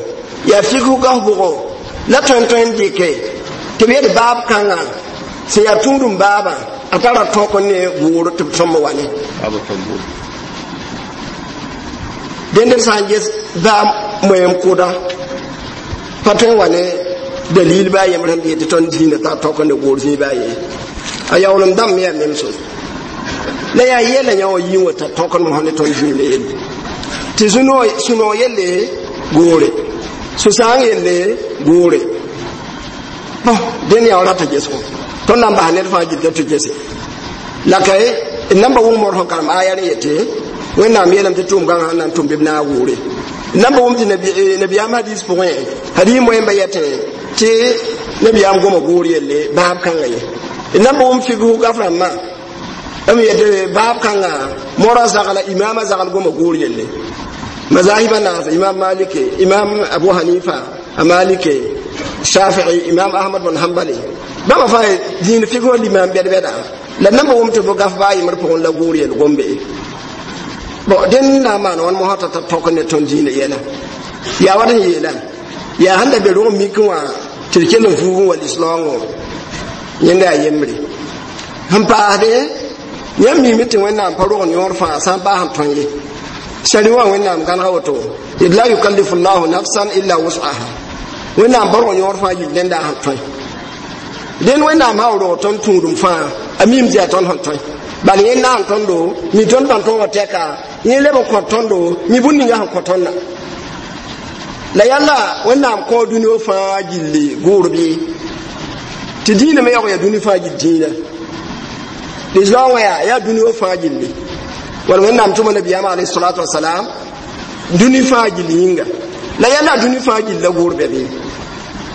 yaa fikhu gaf bʋgɔ la tõe n dɩke tɩ b yet baab kãngã sẽn yaa tũudum baabã a tara tõk ne gʋʋr tɩ b tõmb wa ne dẽnd d sã n ges baa moem kʋda pa tõe n wa ne dalil baa yembr sẽn yetɩ tõnd dĩinã tar tõk ne gʋʋr zĩig baa ye a yaoolem dãmb me yaa memso la yaa yɛla yã wã yĩng wã t'a tõkd mosã ne tõnd dĩinã yelle tɩ sũ-noog yelle goore, sũ-sãang yelle goore. Bõn dẽnd yaa rata gesgo tõnd na n bas ned fãa gilda tɩ gese la ka d nan pa wʋm mor sẽn karem aya rẽ yetɩ Wẽnnaam yeelame tɩ tʋʋm gãngã sẽn na n tʋm bɩ b naag goore. D nan pa wʋm tɩ nabiyaam hadis pʋgẽ hadis moẽmba yetẽ tɩ nabiyaam goma goor yelle baab kãngã ye. D nan pa wʋm figsg gaf rãmbã m yetɩ baab kãngã mora zagla imaamã zagl goma goor yelle. Mazahiba naas, Imam Malike, Imam Abu Hanifa, a Malike, Shafi'i, Imam Ahmad bin Hanbali, bãmba fãa dĩin figsg limam bɛd-bɛda la nan pa wʋm tɩ b gaf baa yembr pʋgẽ la goor yel gombe. Bon, dẽnd na n maan wãn mosã t'a tõk ne tõnd dĩinã yɛla yaa wat n yeela yaa sẽn da be rog mik wã tɩ d kell n fuug n wa lislaoongõ yẽnda yaa yembre sẽn paasde. Yãmb miime tɩ Wẽnnaam pa rogn yõor fãa sã n paas n tõe ye sari wã Wẽnnaam gãnega woto d la yukallifu llahu nafsan illa wus'aha. Wẽnnaam pa rog yõor fãa yil dẽnda sẽn tõe. Dẽnd Wẽnnaam sã rog tõnd tũudum fãa a miim tɩ yaa tõnd sẽn tõe bal yẽ naan tõndo mi tõnd bãn tõogã tɛka yẽ leb n kõ tõndo mi bũmb ninga sẽn kõ tõndã la yalla Wẽnnaam kõ dũni wã fãa gilli gʋʋr bɩ tɩ dĩinã me yaoog yaa dũni fãa gill dĩinã lislaam wã yaa dũni wã fãa gilli wala Wẽnnaam tʋma nabiyaamã alayhi salatu wasalam dũni fãa gill yĩnga la yalla dũni fãa gill la gʋʋr bɛ bɩ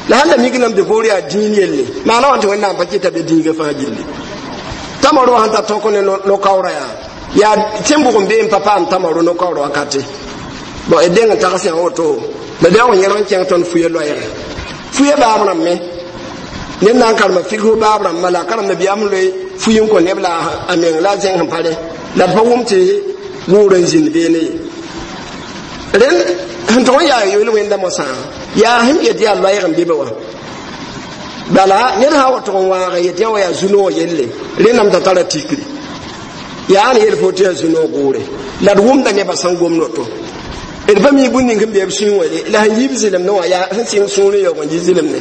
la sãn da mik lame tɩ goor yaa dĩin yelle maana wã tɩ Wẽnnaam pa kɩta be dĩigã fãa gilli tamaro sẽn ta tõk ne no-kaoora yaa tẽn bʋg n bee n pa paam tamaro no-kaoora wakate. Bon, d deng n tags yã woto la d yaoog n yẽlg n kẽng tõnd fuye loɛɛge fuye baab rãmb me ned na n karema figsg baab rãmbã la a karem nabiyaam loe fuyi n kõ neb la a meng la a zẽng sẽn pa rẽ la d pa wʋm tɩ gʋʋr n zĩnd beene ye. Rẽnd sẽn tʋg n yaa yoel wẽnda mosã yaa sẽn yet yaa loɛɛg n be be wã bala ned sã wa tʋg n wãag n yet yã wa yaa zu-noog yelle rẽnname t'a tara tikri yaa n yel fo tɩ yaa zu-noog gʋʋre la d wʋmda nebã sẽn gom noto d pa mi bũmb ning n be b sũyẽ wã la sẽn yiib zɩlemdẽ wã yaa sẽn sɩng sũurẽ yaoog n yi zɩlemde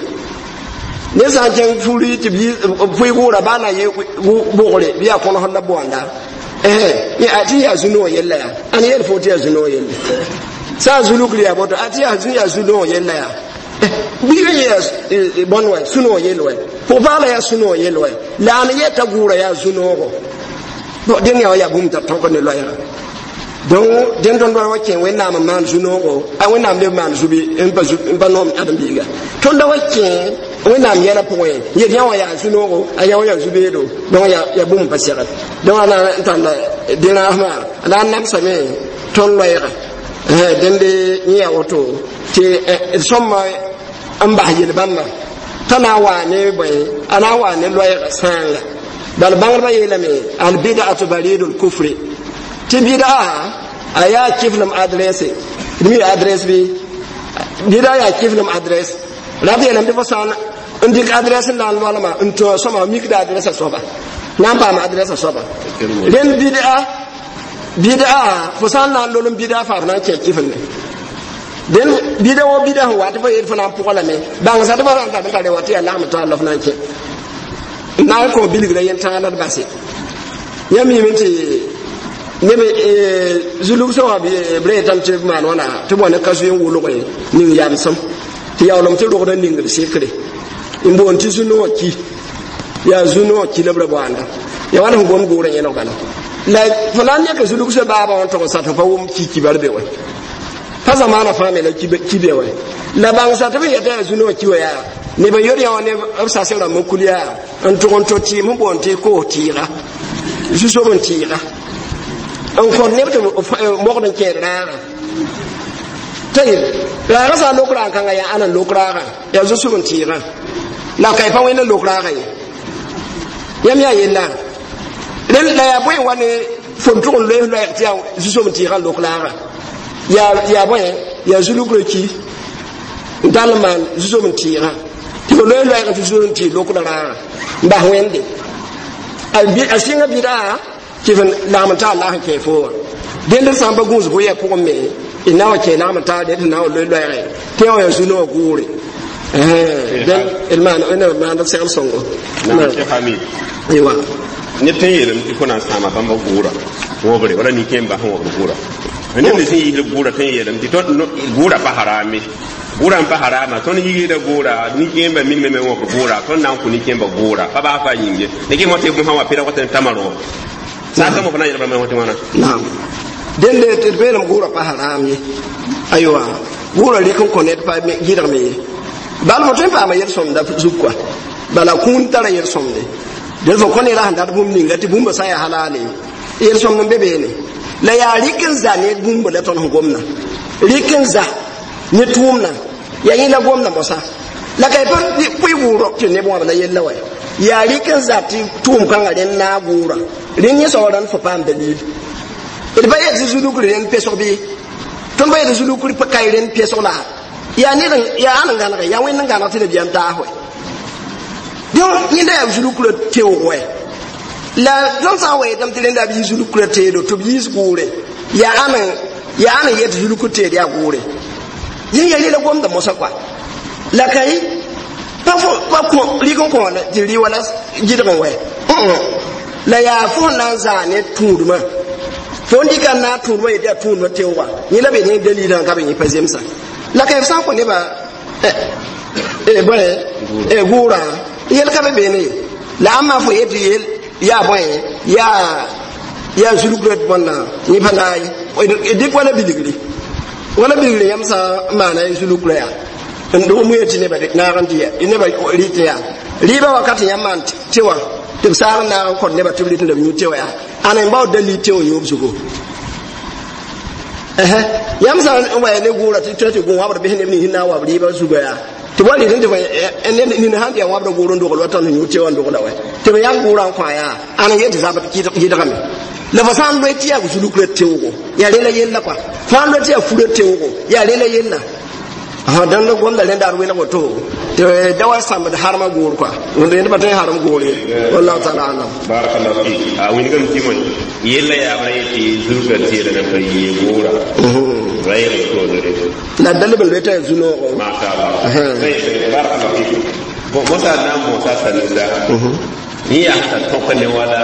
ned sã n kẽng furi tɩ b pʋɩ gʋʋra baa na yɩ bʋgre bɩ yaa kõnesd la boanda tɩ yaa zu-noog yella yaa ãn yel fo tɩ yaa zu-noog yelle sã n zulugr yaa boto tɩ yaa zu-noog yella yaa bɩ yaa bõn wɛ sũ-noog yell wɛ pʋg-paala yaa sũ-noog yell wɛ la ãn yeta gʋʋra yaa zu-noogo. Bon, dẽnd yaa wa yaa bũmb t'a tõk ne loɛɛga. Donc dẽnd tõnd wa kẽ Wẽnnaam n maan zu-noogo a Wẽnnaam leb maan zubi n pa noom ãdem-biiga tõnda wa kẽ Wẽnnaam yɛla pʋgẽ yet yã wã yaa zu-noogo a yã wã yaa zu-beedo. Donc yaa bũmb pa segl. Donc a na n tall dẽ-rãasmã a na n namsame tõnd loɛɛga dẽnd yẽ yaa woto tɩ d sõmba n bas yel-bãmba t'a na n waa ne bõe a na n waa ne loɛɛga sãanga bal bãngdbã yeelame albidatu baridul kufri tɩ bɩda a yaa kiflem adresse d mi adresse bɩ bɩda yaa kiflem adresse la b yeelame tɩ fo sã n dɩk adresse n na n loalma n tõ sõma mikda adresse soaba na n paam adresse soaba rẽnd bɩda fo sã n na n lol n bɩda faa f na n kẽ kiflme dẽn bɩda wo bɩda sẽn wa tɩ fo yeel fo na n pʋga lame bãngsa tɩ fo sã n tar n tare wa tɩ yaa lagm taal la f na n kẽ n na n kõ bilgra yentãag la d base. Yãmb miime tɩ neb zulug sã wã b ra yetame tɩ b maan wãna tɩ b wa ne ka-zoe n wʋlge ning yamsem tɩ yaoolem tɩ rogd n ning b sekre n boond tɩ zu-noog ki yaa zu-noog ki la b ra boanda yaa wãn sẽn gom goorã yẽlg bala la fo na n yãka zulug sã baabã wã n tʋg n sat pa wʋm ki kibar be wɛ pa zamaana fãa me la ki be wɛ la bãngsa tɩ b yeta yaa zu-noog ki wa yaa neb n yod yã wã ne b sase rãmb n kul yaa n tʋg n to tɩɩm sẽn boond tɩ koos tɩɩga zu-sob n tɩɩga n kõt neb tɩ mogd n kẽed raaga tayib raaga sã n lok raag kãngã yaa ãna n lok raagã yaa zu-sob n tɩɩgã la ka y pa wẽnd n lok raagã ye yãmb yaa yella rẽnd la yaa bõe n wa ne fo n tʋg n loes loɛɛg tɩ yaa zu-sob n tɩɩgã n lok raagã. Yaa bõe yaa zulugrã ki n tall n maan zu-soab n tɩɩgã tɩ fo loe loɛɛgẽ tɩ zu-soab n tɩɩg lokdã rãagã n bas wẽnde a sɩnga bɩda tɩ f lagm n taar la sẽn kẽ fo wã dẽnd d sã n pa gũus bʋyã pʋgẽ me d na wa kẽ lagm n taar tɩ na wa loe loɛɛgẽ tɩ wã yaa zu-noogã gʋʋre d maand segl sõngo. Aywa. Neb tõe n yeelame tɩ fo na n sãama bãmba gʋʋra wõbre wala nin-kẽembã sẽn wõbd gʋʋra. Neb nins sẽn yiisd gʋʋra tõe n yeelame tɩ gʋʋra pa harame, gʋʋra n pa harama. Tõnd yiisda gʋʋra, nin-kẽembã minime me wõbd gʋʋra. Tõnd na n kõ nin-kẽembã gʋʋra pa baa fa yĩng ye ne kɩ tɩ bõsã wã pɩra wat n tama roo saasã mo fo na n yɛl bãmb tɩ wãna. Naam, dẽnde tɩ d beelem gʋʋra pa haram ye. Aywa, gʋʋra rɩk n kõ ned pa gɩdgme ye. Bal fo tõe n paama yel-sõmda zug kɔa, bala kũun tara yel-sõmde. Dẽn fo kõ neda sẽn dat bũmb ninga tɩ bũmba sã n yaa halaale, yel-sõmd n be beene. La yaa rɩk n za ne bũmba la tõnd sẽn gomna, rɩk n za ne tʋʋmna yaa yẽ la gomna mosã la ka pa pʋɩ gʋʋrɔ tɩ neb wãb la yella wa. Yaa rɩk n za tɩ tʋʋm kãngã rẽnd naag gʋʋra rẽnd yẽ soaba rãnd fo paam dalil. D pa yet tɩ zulukr rẽnd pesg bɩ tõnd pa yet tɩ zulukr kae rẽnd pesg la yaa ned yaa ãn n gãnege yaa wẽnd n gãneg tɩ nabiyaam taas wɛ. Donc yẽnda yaa zulukrã teoog wɛ. La tõnd sã n wa yetame tɩ rẽnda b yɩ zulukrã teedo tɩ b yiis gʋʋre, yaa ãn yaa ãn n yet zulukr teed yaa gʋʋre yẽ yaa rela gomda mosã kɔa. La ka ye pa pa kõ rɩk n kõ tɩ rɩ wala gɩdg n wɛ. La yaa fo sẽn na n zaa ne tũudmã, fo n dɩka n naag tũudmã yetɩ yaa tũudmã teoogã yẽ la be ne dalilã ka be yẽ pa zemsã. La ka b sã n kõ nebã bõe gʋʋrã yel ka be beene ye. La ãmba fo yetɩ yel yaa bõe yaa zulgrã bõnna yẽ pa naag ye. Dɩk wala bilgri, wala bilgri yãmb sã n maana zulugrã yaa n dog mu yetɩ nebã naag n tɩ nebã rɩt yaa rɩɩbã wakat yãmb maan tɩ wã tɩ b saag n naag n kõt nebã tɩ b rɩt n b yũ tɩ wã yaa ãn n baood dalil tɩ wã yoob zugu. Yãmb sã n wa ne gʋʋra tɩ tɩ gũ wãbd bɩs neb nins n na n wa b rɩɩbã zuga yaa tɩ wa rɩt n tɩ nin sãn tɩ yaa wãbda gʋʋr n dogl wa tõnd yũ tɩ wã n dogla wɛ tɩ b yãk gʋʋrã n kõ yaa ãn n yet zabd gɩdgame. La fo sã n loe tɩ yaa zulukrã teoogo yaa rela yella kɔa, fo sã n loe tɩ yaa furã teoogo yaa rela yella. Dãnd gomda rẽnda d welg woto tɩ da wa sãmbd harmã gʋʋr kɔa rẽnd pa tõe n harem gʋʋr ye. Wallahu taala alam. Barakallahu fik. A wingame tɩ moe yella yaabra yetɩ zulka teeda na pa yee gʋʋra ra yel toodre. La da leb n loe t'a yaa zu-noogo. Masha Allah, barakallahu fik. Bon, mosa na n mosa sanusa yẽ yaa sẽn tar tõk ne wala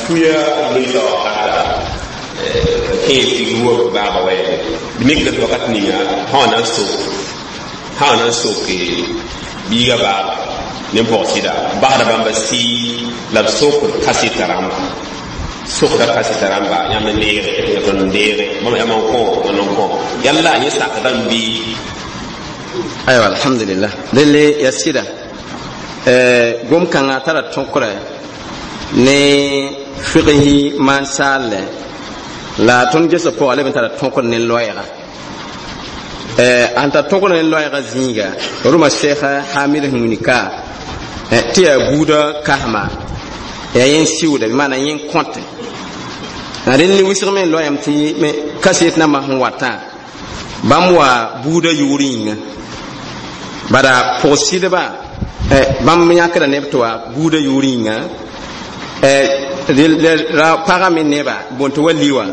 fuya loɩsa wakata kẽe tig wok baaba wɛ d mikda tɩ wakat ninga sã na n sok biiga baaba ne pɔgsɩda basda bãmba sɩ la b sokd kaseta rãmba, sokda kaseta rãmba yãmb n neege tõnd n deege bãmb yãmb n kõ n kõ yalla yẽ sakdame bɩ. Aywa, alhamdulillah. Delle ya sɩda gom kãngã tara tõkrɛ ne figsɩ maan saalle la tõnd gesg pʋga leb n tara tõkr ne loɛɛga ãn tar tõkr ne loɛɛga zĩiga rʋma sheekh Hamid sẽn wilg ka tɩ yaa buudã kasma yaa yẽ sɩʋda bɩ maana yẽ kõte rẽnd ne wɩsg me loɛɛm tɩ kaset nambã sẽn watã bãmb wa buudã yʋʋr yĩnga bala pʋg-sɩdba bãmb yãkda neb tɩ wa buudã yʋʋr yĩnga ra pagã me neba bõn tɩ wa li wã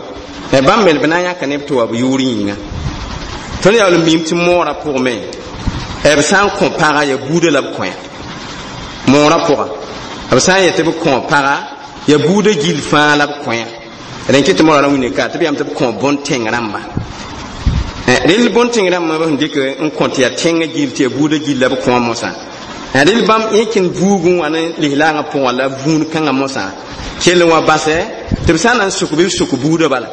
bãmb me b na n yãka neb tɩ wa b yʋʋr yĩnga. Tõnd yaool n miim tɩ moorã pʋgme b sã n kõ paga ya buudã la b kõ moorã pʋga b sã n yet tɩ b kõ paga ya buudã gill fãa la b kõ rẽn kɩ tɩ moorã ra wĩnne ka tɩ b yam tɩ b kõ bõn-tẽng rãmba rel bõn-tẽng rãmba b sẽn dɩk n kõ tɩ yaa tẽngã gill tɩ yaa buudã gill la b kõ mosã rel bãmb yẽ kẽnd buugẽ wã ne lislaangã pʋgã la vũun kãngã mosã kell n wa basɛ tɩ b sã n na n suk bɩ b suk buudã bala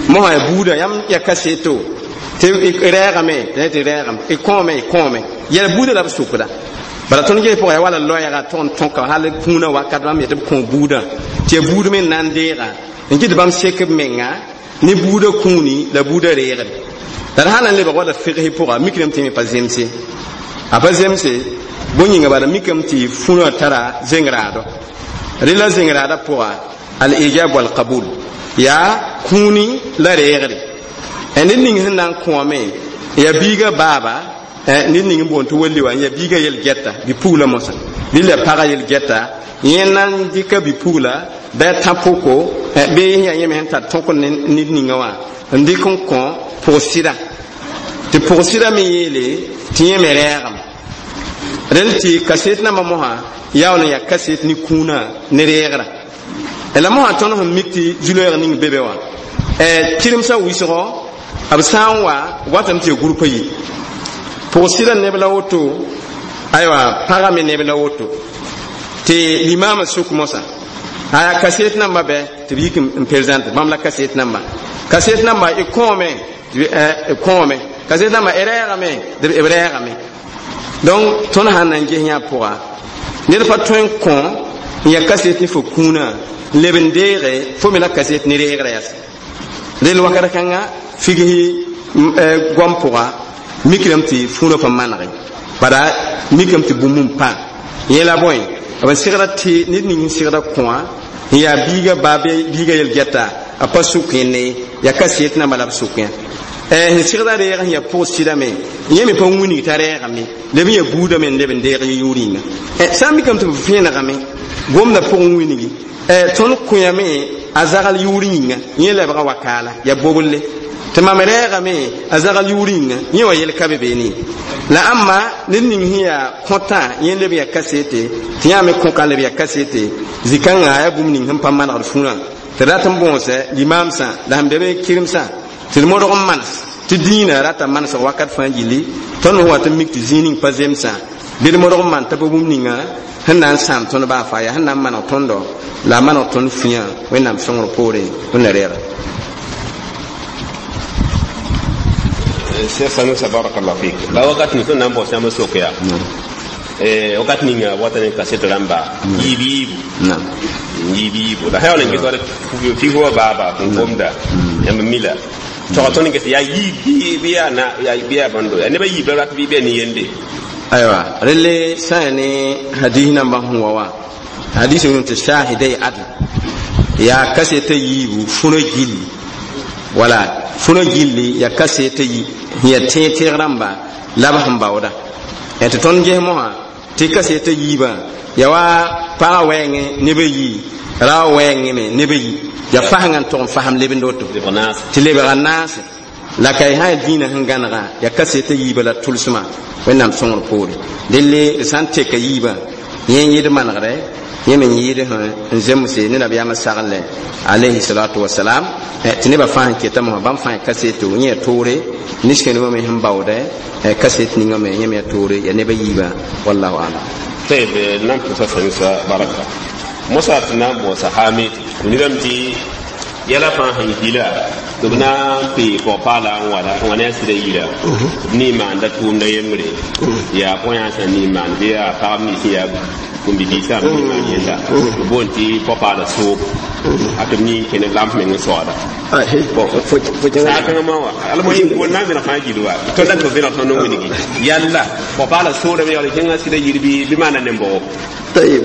mosã ya buudã yãmb ya kaseto tɩ rɛɛgame tɩ rɛɛgame y kõome y kõome yɛl buudã la b sukda. Bala tõnd ges pʋgã yaa wala loɛɛga tʋg n tõka hal kũunã wakat bãmb yetɩ b kõ buudã tɩ ya buud me n na n deega n kɩt bãmb sek b menga ne buudã kũuni la buudã reegre. La d sã na n lebg wala figsɩ pʋga mikdame tɩ me pa zemse a pa zemse bõe yĩnga bala mikame tɩ fũnã tara zeng-raado rela zeng-raadã pʋga al ijab wal qabul yaa kũuni la reegre. Ned ning sẽn na n kõame ya biiga baaba, ned ning n boond tɩ welli wã ya biiga yel-gɛta bi-pugla mosã bɩ la pagã yel-gɛta yẽ na n dɩka bi-pugla bɩ a tã pʋko bɩ yaa yẽ me sẽn tar tõk ned ninga wã n dɩk n kõ pʋg-sɩda tɩ pʋg-sɩda me yeele tɩ yẽ me rɛɛgame rẽnd tɩ kaset nambã mosã yaool n yaa kaset ne kũunã ne reegrã la mosã tõnd sẽn mik tɩ zu-loeeg ning be be wã kɩremsã wɩsgɔ b sã n wa watame tɩ ya gʋrpa yi pʋg-sɩda neb la woto aywa pagã me neb la woto tɩ limaamã sʋk mosã aya kaset namba bɛ tɩ b yik n présente bãmb la kaset namba y kõome kõome kaset namba y rɛɛgame tɩ b rɛɛgame donc tõnd sãn na n ges yã pʋga ned pa tõe n kõ n ya kaset ne fo kũunã n leb n deege fo me la kaset ne reegrã yase rel wakat kãnga figsi goam pʋga mikrame tɩ fũunã pa manege bala mikame tɩ bũmb n pã yẽ la bõe b segda tɩ ned ning n segda kõa n yaa biiga baa biiga yel-gɛta a pa sʋk yẽnde yaa kaset namba la b sʋk yã sẽn segda reeg sẽn yaa pʋg-sɩdame yẽ me pa wilg t'a rɛɛgame leb n yaa buudame n leb n deeg yʋʋr yĩnga sã n mikame tɩ b vẽenegame gomdã pʋgẽ wilgi tõnd kõ-yame a zagl yʋʋr yĩnga yẽ lebga wakaala yaa boblle tɩ mam rɛɛgame a zagl yʋʋr yĩnga yẽ wa yel ka be beene la ãmba ned ning sẽn yaa kõtã yẽ leb yaa kasete tɩ yã me kõka leb yaa kasete zĩ-kãngã yaa bũmb ning sẽn pa manegd fũurã tɩ rat n bõose limaamsã la sẽn be be kɩremsã tɩ d modg n manes tɩ dĩinã rata manesg wakat fãa gilli tõnd sẽn wat n mik tɩ zĩig ning pa zemsã bɩ d modg n maan t'a pa bũmb ninga sẽn na n sãam tõnd baa faa yaa sẽn na n maneg tõndo la a maneg tõnd fũyã Wẽnnaam sõngr poorẽ wẽnna reega. Cheikh Sanusi barakallahu fik la wakat ni sẽn na n bao sãmb sok yaa wakat ninga wata ne kaset rãmba yiib yiibu yiib yiibu la sã n ges wala fik wa baaba n gomda yãmb mila tog tõnd ges yaa yiib bɩ yaa na bɩ yaa bãndo yaa nebã yiib la rat bɩ bɩ ne yende aywa relle sã yaa ne hadis nambã sẽn wa wã hadis n tɩ shahidai adl yaa kaseta yiibu fũrã gilli wala fũrã gilli yaa kaseta yi sẽn yaa tẽeg tẽeg rãmba la b sẽn baooda tɩ tõnd ges mosã tɩ kaseta yiibã yaa wa pagã wɛɛngẽ neb a yii rao wɛɛngẽ me neb a yi yaa fasengã n tʋg n fasem lebend woto tɩ lebga naase la ka y sã yaa dĩinã sẽn gãnega yaa kaseta yiibã la tʋlsmã Wẽnnaam sõngr poore delle d sã n teka yiibã yẽ n yɩɩd manegre yẽ me n yɩɩd n zemse ne nabiyaamã saglẽ alayhi salatu wasalam tɩ nebã fãa sẽn keta mosã bãmb fãa kaseto yẽ yaa toore ninskenegã me sẽn baoodɛ kaset ninga me yẽ me yaa toore yaa neb a yiibã wallahu alam. طيب نعم تسا baraka mosa tɩ na n bõosa haame tɩ nidame tɩ yɛla fãa sẽn gila tɩ b na n pee pɔg-paala n wala n wa ne a sɩda yira b ne maanda tʋʋmda yembre yaa põ-yãnsã ne maan bɩ yaa pagb nins sẽn yaa kũm-bibiisã b ne maan yẽnda b boond tɩ pɔ-paala soob a tɩ b ne n kẽne lamp meng n soaada saakãngã ma wã almohim boond na n vẽneg fãa gil wa tõnd la tɩ b vẽneg tõnd n wilgi yalla pɔ-paala soodame yaool kẽngã sɩda yir bɩ maana nembogo. Tayib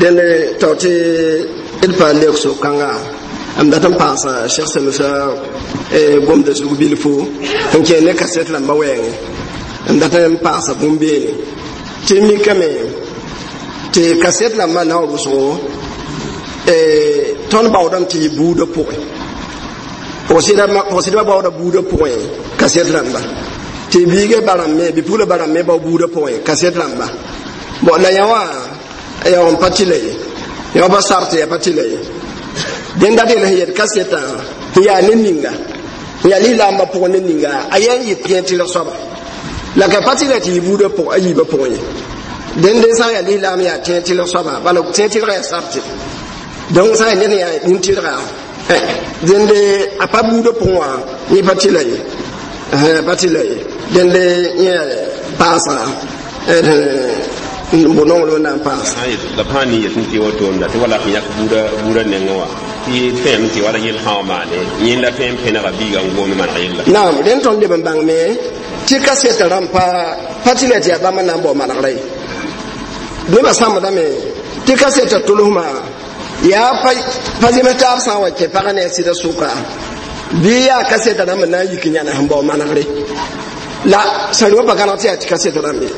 dẽnd tao tɩ d pa leok so-kãnga m dat n paasa Cheikh Sanusa gomda zug bilfu n kẽ ne kaset rãmbã wɛɛngẽ m dat n paasa bũmb beene tɩ mikame tɩ kaset rãmbã na n rʋsgo tõnd baoodame tɩ yɩ buudã pʋgẽ pʋgsidbã baooda buudã pʋgẽ kaset rãmba tɩ biigã ba rãmb me bi-pugla ba rãmb me bao buudã pʋgẽ kaset rãmba bon la yã wã yaa n pa tɩla ye yã wã pa sar tɩ yaa pa tɩla ye dẽn dat yel sẽn yet kasetã n yaa ne ninga n yaa lislaambã pʋgẽ ne ninga a yaa n yɩ tẽeg tɩlg soaba la ka pa tɩla tɩ yɩ buudã pʋgẽ a yiibã pʋgẽ ye dẽnde sã n yaa lislaam yaa tẽeg tɩlg soaba bala tẽeg tɩlgã yaa sarte donc sã n yaa ned yaa nin-tɩlga dẽnde a pa buudã pʋgẽ wã yẽ pa tɩla ye pa tɩla ye dẽnde yẽ paasã n bo nongl wẽnnaam paas la b sã n ne yet n tɩ wotoomda tɩ wala sẽn yak buudã nengẽ wã tɩ fẽem tɩ wala yel sã wa maane yẽnda tõe n pẽnega biiga n goome maneg yella naam rẽnd tõnd leb n bãngme tɩ kasɛtã rãmb pa tɩ la tɩ yaa bãmb n na n bao manegrã ye nebã sãmbdame tɩ kasɛtã tʋlsmã yaa pa zems taab sã n wa kẽ pagã ne a sɩda sʋka Bɩ yaa kasɛtã rãmb n na n yik n yãna sẽn bao manegre la sã rʋ pa gãneg tɩ yaa tɩ kasɛtã rãmb ye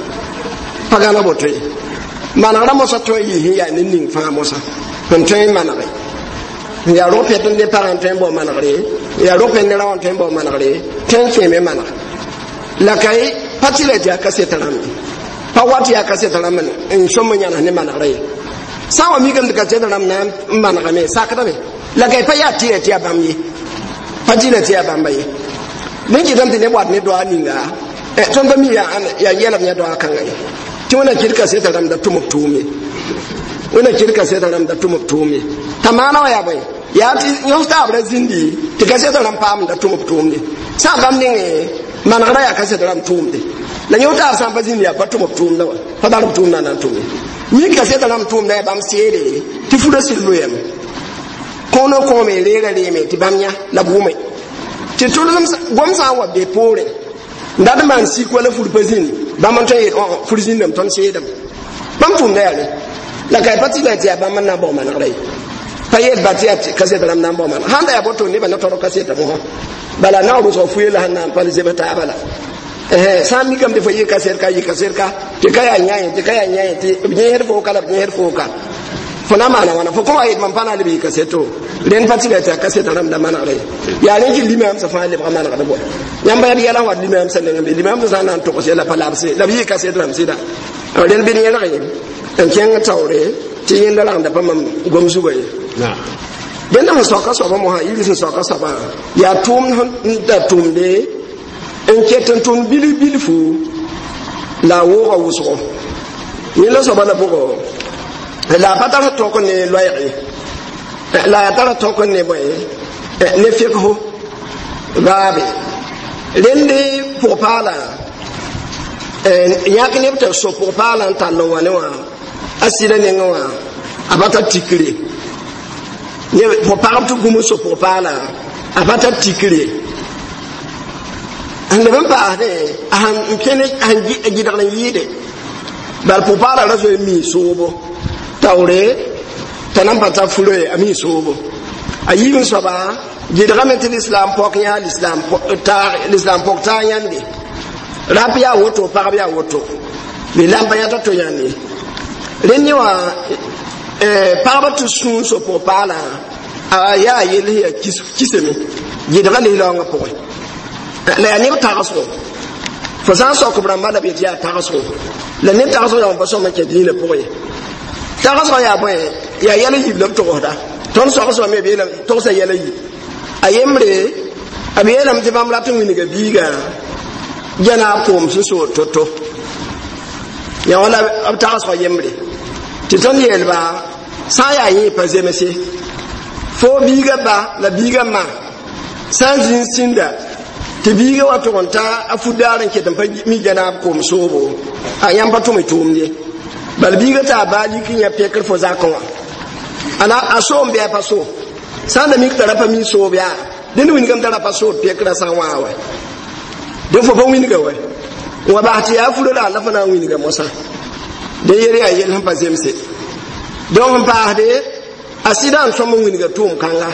pa gãneg boto ye manegrã mosã tõe n yɩ sẽn yaa ned ning fãa mosã sẽn tõe n manege n yaa rog pɛt n ne pagã n tõe n bao manegre n yaa rog pɛt ne raoã n tõe n bao manegre tõe n kẽeme maneg la ka ye pa tɩ la tɩ yaa kasɛtã rãmb ye pa wa tɩ yaa kasɛtã rãmb n sõm n yãnes ne manegrã ye sã n wa mikame tɩ kasɛtã rãmb na n manegame sakdame la ka ye pa yaa tɩ la tɩ yaa bãmb ye pa tɩ la tɩ yaa bãmba ye dẽn kɩtame tɩ neb wat ne doa ninga tõnd pa mi yaa yɛlem yã doa kãnga ye tɩ wẽna kɩd kasɛtã rãmb da tʋm b tʋʋm ye wẽna kɩd kasɛtã rãmb da tʋm b tʋʋm ye t'a maana wã yaa bõe yaa tɩ yõs taab ra zĩndi tɩ kasɛtã rãmb paam da tʋm b tʋʋmde sã n bãmb nengẽ manegrã yaa kasɛtã rãmb tʋʋmde la yõ taab sã n pa zĩndi yaa pa tʋm b tʋʋmdã wã pa tar b tʋʋmdã na n tʋm ye mi kasɛtã rãmb tʋʋmda yaa bãmb seede tɩ furã sɩd loyame kõono kõome reera reeme tɩ bãmb yã la b wʋme tɩ tʋlsem gom sã n wa be poorẽ n dat n maan sik wala fur pa zĩnd bãmb n tõe n yeel fur zĩndame tõnd seedame bãmb tʋʋmda yaa re la ka pa tɩ la tɩ yaa bãmb n na n bao manegrã ye pa yeel ba tɩ yaa kasɛtã rãmb na n bao maneg sãn da yaa boto nebã na tɔrg kasɛtã mosã bala na rʋsg fu yella sẽn na n pa zebs taaba la sã n mikame tɩ fo yɩ kasɛt ka yɩ kasɛt ka tɩ ka yaa yã ye tɩ ka yaa yã ye tɩ b yẽsd fo ka la b yẽsd fo ka fo na maana wãna fo kõ wa yet mam pa na n leb yɩ kasɛto rẽnd pa tɩ la tɩ a kasɛtã rãmb da manegrã ye yaa rẽ kɩ limaamsã fãa lebga manegd bɔa yãmb yaa yɛla wat limaamsã nengẽ be limaamsã sã n na n togs yɛla pa labse la b yɩ kasɛt rãmb sɩda rẽnd bɩ yẽlg n kẽng taoore tɩ yẽnda ragenda pa mam gom zugã ye dẽnda sẽn soaka soabã mosã yiri sẽn soaka soabã yaa tʋʋmd n da tʋmde n ket n tʋmd bilf bilfu la a wooga wʋsgo yẽ la soaba la bʋgɔ la a pa tar tõk ne loɛɛg ye la a tara tõk ne bõe ne fekso baabe rẽnd pʋg-paala yãk neb tɩ so pʋg-paala n tall n wa ne wã a sɩda nengẽ wã a pa tar tikre pʋg-pagb tɩ gũm n so pʋg-paala a pa tar tikre n leb n paasdẽ a sẽn kẽne a sẽn gɩdgd n yɩɩde bal pʋg-paala ra zoe n mii soobo taoore t'a nan pa tar furo ye a mii soobo a yiib n soaba gɩdgame tɩ lislaam pɔk yã lislaam pɔk taa yãnde rap yaa woto pagb yaa woto lislaam pa yãta to yãnde rẽnd yẽ wã pagba tɩ sũur so pʋg-paalã a yaa yell sẽn yaa kisame gɩdga lislaoongã pʋgẽ la yaa neb tagsgo fo sã n sok b rãmba la b yetɩ yaa tagsgo la neb tagsgo yaa pa sõm n kẽ dĩinã pʋgẽ ye tagsgã yaa bõe yaa yɛl n yib la b togsda tõnd sogsbame b yeelame togsa yɛl n yib a yembre b yeelame tɩ bãmb rat n wilga biiga gɛna koom sẽn soor to-to yã wã la b tagsgã yembre tɩ tõnd yeelba sã n yaa yẽ pa zemse fo biiga ba la biiga ma sã n zĩnd sĩnda tɩ biiga wa tʋg n ta a fu-daar n ket n pa mi gɛnaab koom soobo a yãmb pa tʋm y tʋʋmd ye bal biiga t'a baa lik n yã pekr fo zakẽ wã ana a soom bɩ a pa so sã n da mik t'a ra pa mi soob yaa dẽnd wingame t'a ra pa sood pekrã sã n wãa wa dẽ fo pa wĩnga wa n wa bas tɩ yaa furã la la fo na n wĩnga mosã dẽ yel yaa yel sẽn pa zemse donc n paasde a sɩda n sõm n wĩnga tʋʋm kãnga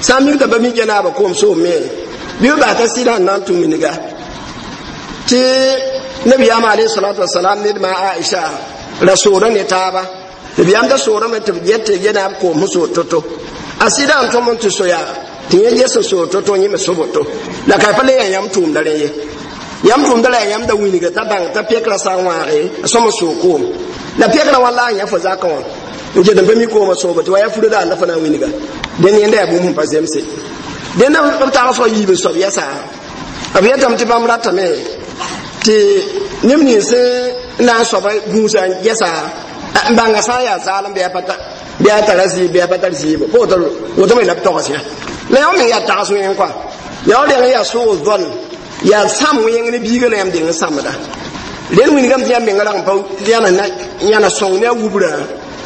sã n mik t'a pa mi gɛnaabã koom soom me bɩ b bas t'a sɩda n na n tũ wĩnga tɩ nabiyaam alayhi salatu wasalam ned ma Aisha ra soora ne taaba nabiyaam da soorame tɩ b get tɩ gɛnaab koom sẽn soor to-to a sɩda n tõm n tɩ soya tɩ yẽ ges n soor to-to yẽ me so boto la ka pa le yaa yãmb tʋʋmda rẽ ye yãmb tʋʋmda la yaa yãmb da wĩnga t'a bãng t'a pɛkrã sã n wãage a sõm n soog koom la pɛkrã wa la a yã fo zakã wã n ket n pa mi koomã soobo tɩ wa yaa furã la a la fo na n wĩnga dẽnd yẽnda yaa bũmb sẽn pa zemse dẽnda b tagsgã yiib n soab yɛsa b yetame tɩ bãmb ratame tɩ neb nins n na n soaba gũusa n gɛsa n bãnga sã n yaa zaalem bɩ a tara zɩɩb bɩ a pa tar zɩɩbo pa woto me la b togs yã la yõ meng yaa tags wẽng kɔa yaa reng yaa soog zõn yaa sãm wẽng ne biiga la yãmb deng n sãmda rẽnd wingame tɩ yãmb menga rag n pa yãna sõng ne a wubra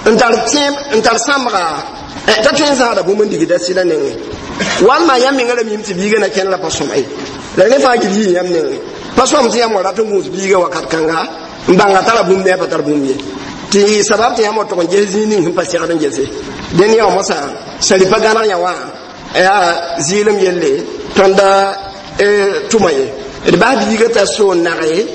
n tar tẽeb n tar sãmbga t'a tõe n zãada bũmb n digda sɩda nengẽ walma yãmb menga ra mim tɩ biiga na kẽnd la pa sõma ye la rẽ fãa gil yɩ yãmb nengẽ pa sõm tɩ yãmb wa rat n gũus biiga wakat kãnga n bãnga tara bũmb ne a pa tar bũmb ye tɩ sabab tɩ yãmb wa tʋg n ges zĩig ning sẽn pa segd n gese dẽnd yã wã mosã sã pa gãneg yã wã yaa zɩɩlem yelle Tõnd tʋma ye d bas biiga t'a so n nage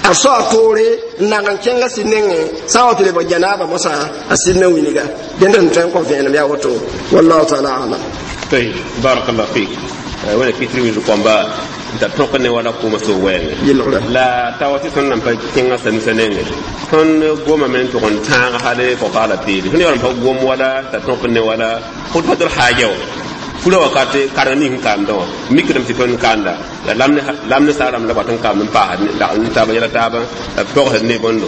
a soa toore n nag n kẽnga sɩd nengẽ sã n wa tɩ lebg janaaba mosã a sɩd na wilga dẽnd sẽn tõe n kõ vẽenem yaa woto wallahu taala alam. طيب بارك الله فيك wẽna kɩtr wilg kõmba n tar tõk ne wala kʋʋmã so wɛɛngẽ la ta wa tɩ tõnd nan pa kẽngã sanusa nengẽ tõnd gomame n tʋg n tãag hal pʋgpaala peele tõnd yaool n pa gom wala t'a tõk ne wala khutbatul haja wã fura wakat kareng ning n kaamdã wã mikdame tɩ tõnd kaanda la lam ne saarãmb la bat n kaamd n paasd n taaba yɛla taaba la b togsd ne bõndo.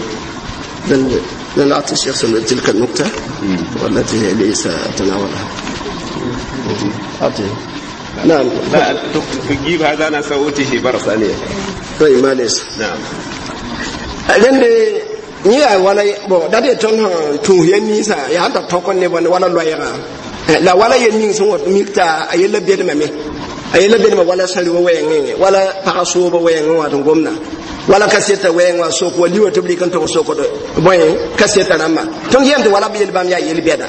لن أعطي الشيخ تلك النكتة والتي ليس تناولها أعطيه نعم. لا تجيب هذا، أنا سأوتيه مرة ثانية. طيب ما ليس. نعم. Rẽnde yẽ yaa wala bon da de tõnd sẽn tũus yel ninsã yaa sẽn tar tõk ne bõn wala loɛɛgã la wala yel ning sẽn wat mik t'a a yella bedmame a yella bedma wala sã-rɩ wɛɛngẽ wala pagã sooba wɛɛngẽ wã tɩ gomna wala kaseta wɛɛng wã sok wa liwa tɩ b rɩk n tog sokd bõe kaseta rãmbã tõnd yɛm tɩ wala b yel bãmb yaa yel bɛda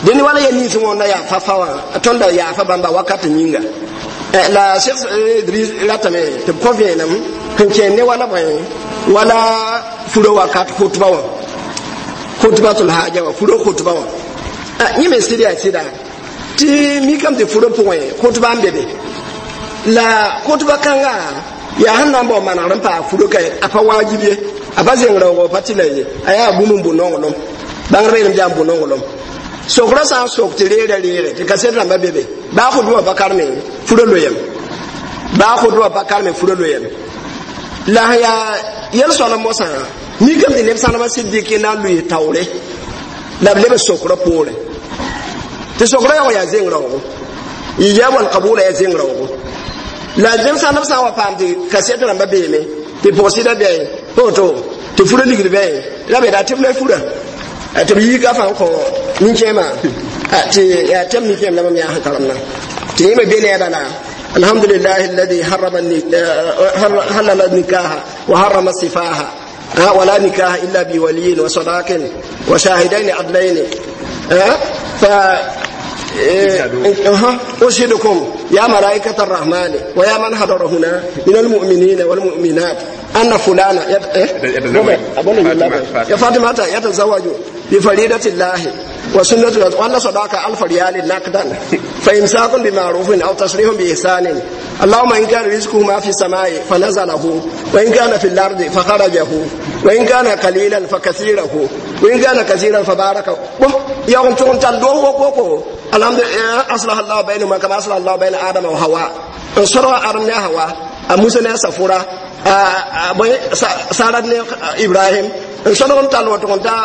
dẽnd wala yel nins wõnda yaa fa-fa wã tõnda yaafa bãmba wakat yĩnga la Cheikh Idris ratame tɩ b kõ vẽenem sẽn kẽen ne wala bõe wala furo wakat khutba wã khutbatul haja wã furo khutba wã yẽ me sɩd yaa sɩda tɩ mikame tɩ furo pʋgẽ khutba n be be la khutba kãnga yaa sẽn na n bao manegr n paa furo ka a pa wajib ye a pa zeng raoogo pa tɩ la ye a yaa bũmb n bʋ nonglem bãngrba yeelame tɩ yaa n bʋ nonglem sokra sã n sok tɩ reera reere tɩ kaset rãmba be be baa khutba pa karme furo loyem baa khutba pa karme furo loyem la sẽn yaa yel soalem mosã mikame tɩ neb sãnema sɩd dɩk na n lʋɩ taoore la b leb sokra poore tɩ sokra yaoog yaa zeng raoogo ijab wal qabula yaa zeng raoogo la neb sãn b sã n wa paam tɩ kaset rãmba beeme tɩ pʋgsɩda bɛɛ woto tɩ fura ligd bɛɛ la be daa tɩ b la fura tɩ b yiika fãa n kõ nin-kẽemã tɩ yaa tɛm nin-kẽem la mam yaa sẽn karemna tɩ yẽ me be ne a bala الحمد لله الذي حرم حلل النكاح وحرم السفاح ولا نكاح إلا بولي وصداق وشاهدين عدلين ف أشهدكم يا ملائكة الرحمن ويا من حضر هنا من المؤمنين والمؤمنات أن فلانا يا فاطمة يتزوج بفريدة الله وسنة وأن صداقة 1000 ريال نقدا فإمساك بمعروف أو تسريح بإحسان اللهم إن كان رزقهما في السماء فنزله وإن كان في الأرض فخرجه وإن كان قليلا فكثيره وإن كان كثيرا فبارك يوم تون تندوه الحمد لله أصلح الله بينهما كما أصلح الله بين آدم وحواء انصروا آدم وحواء موسى سفورة Sara ne Ibrahim n sõdg n tall wa tʋg n ta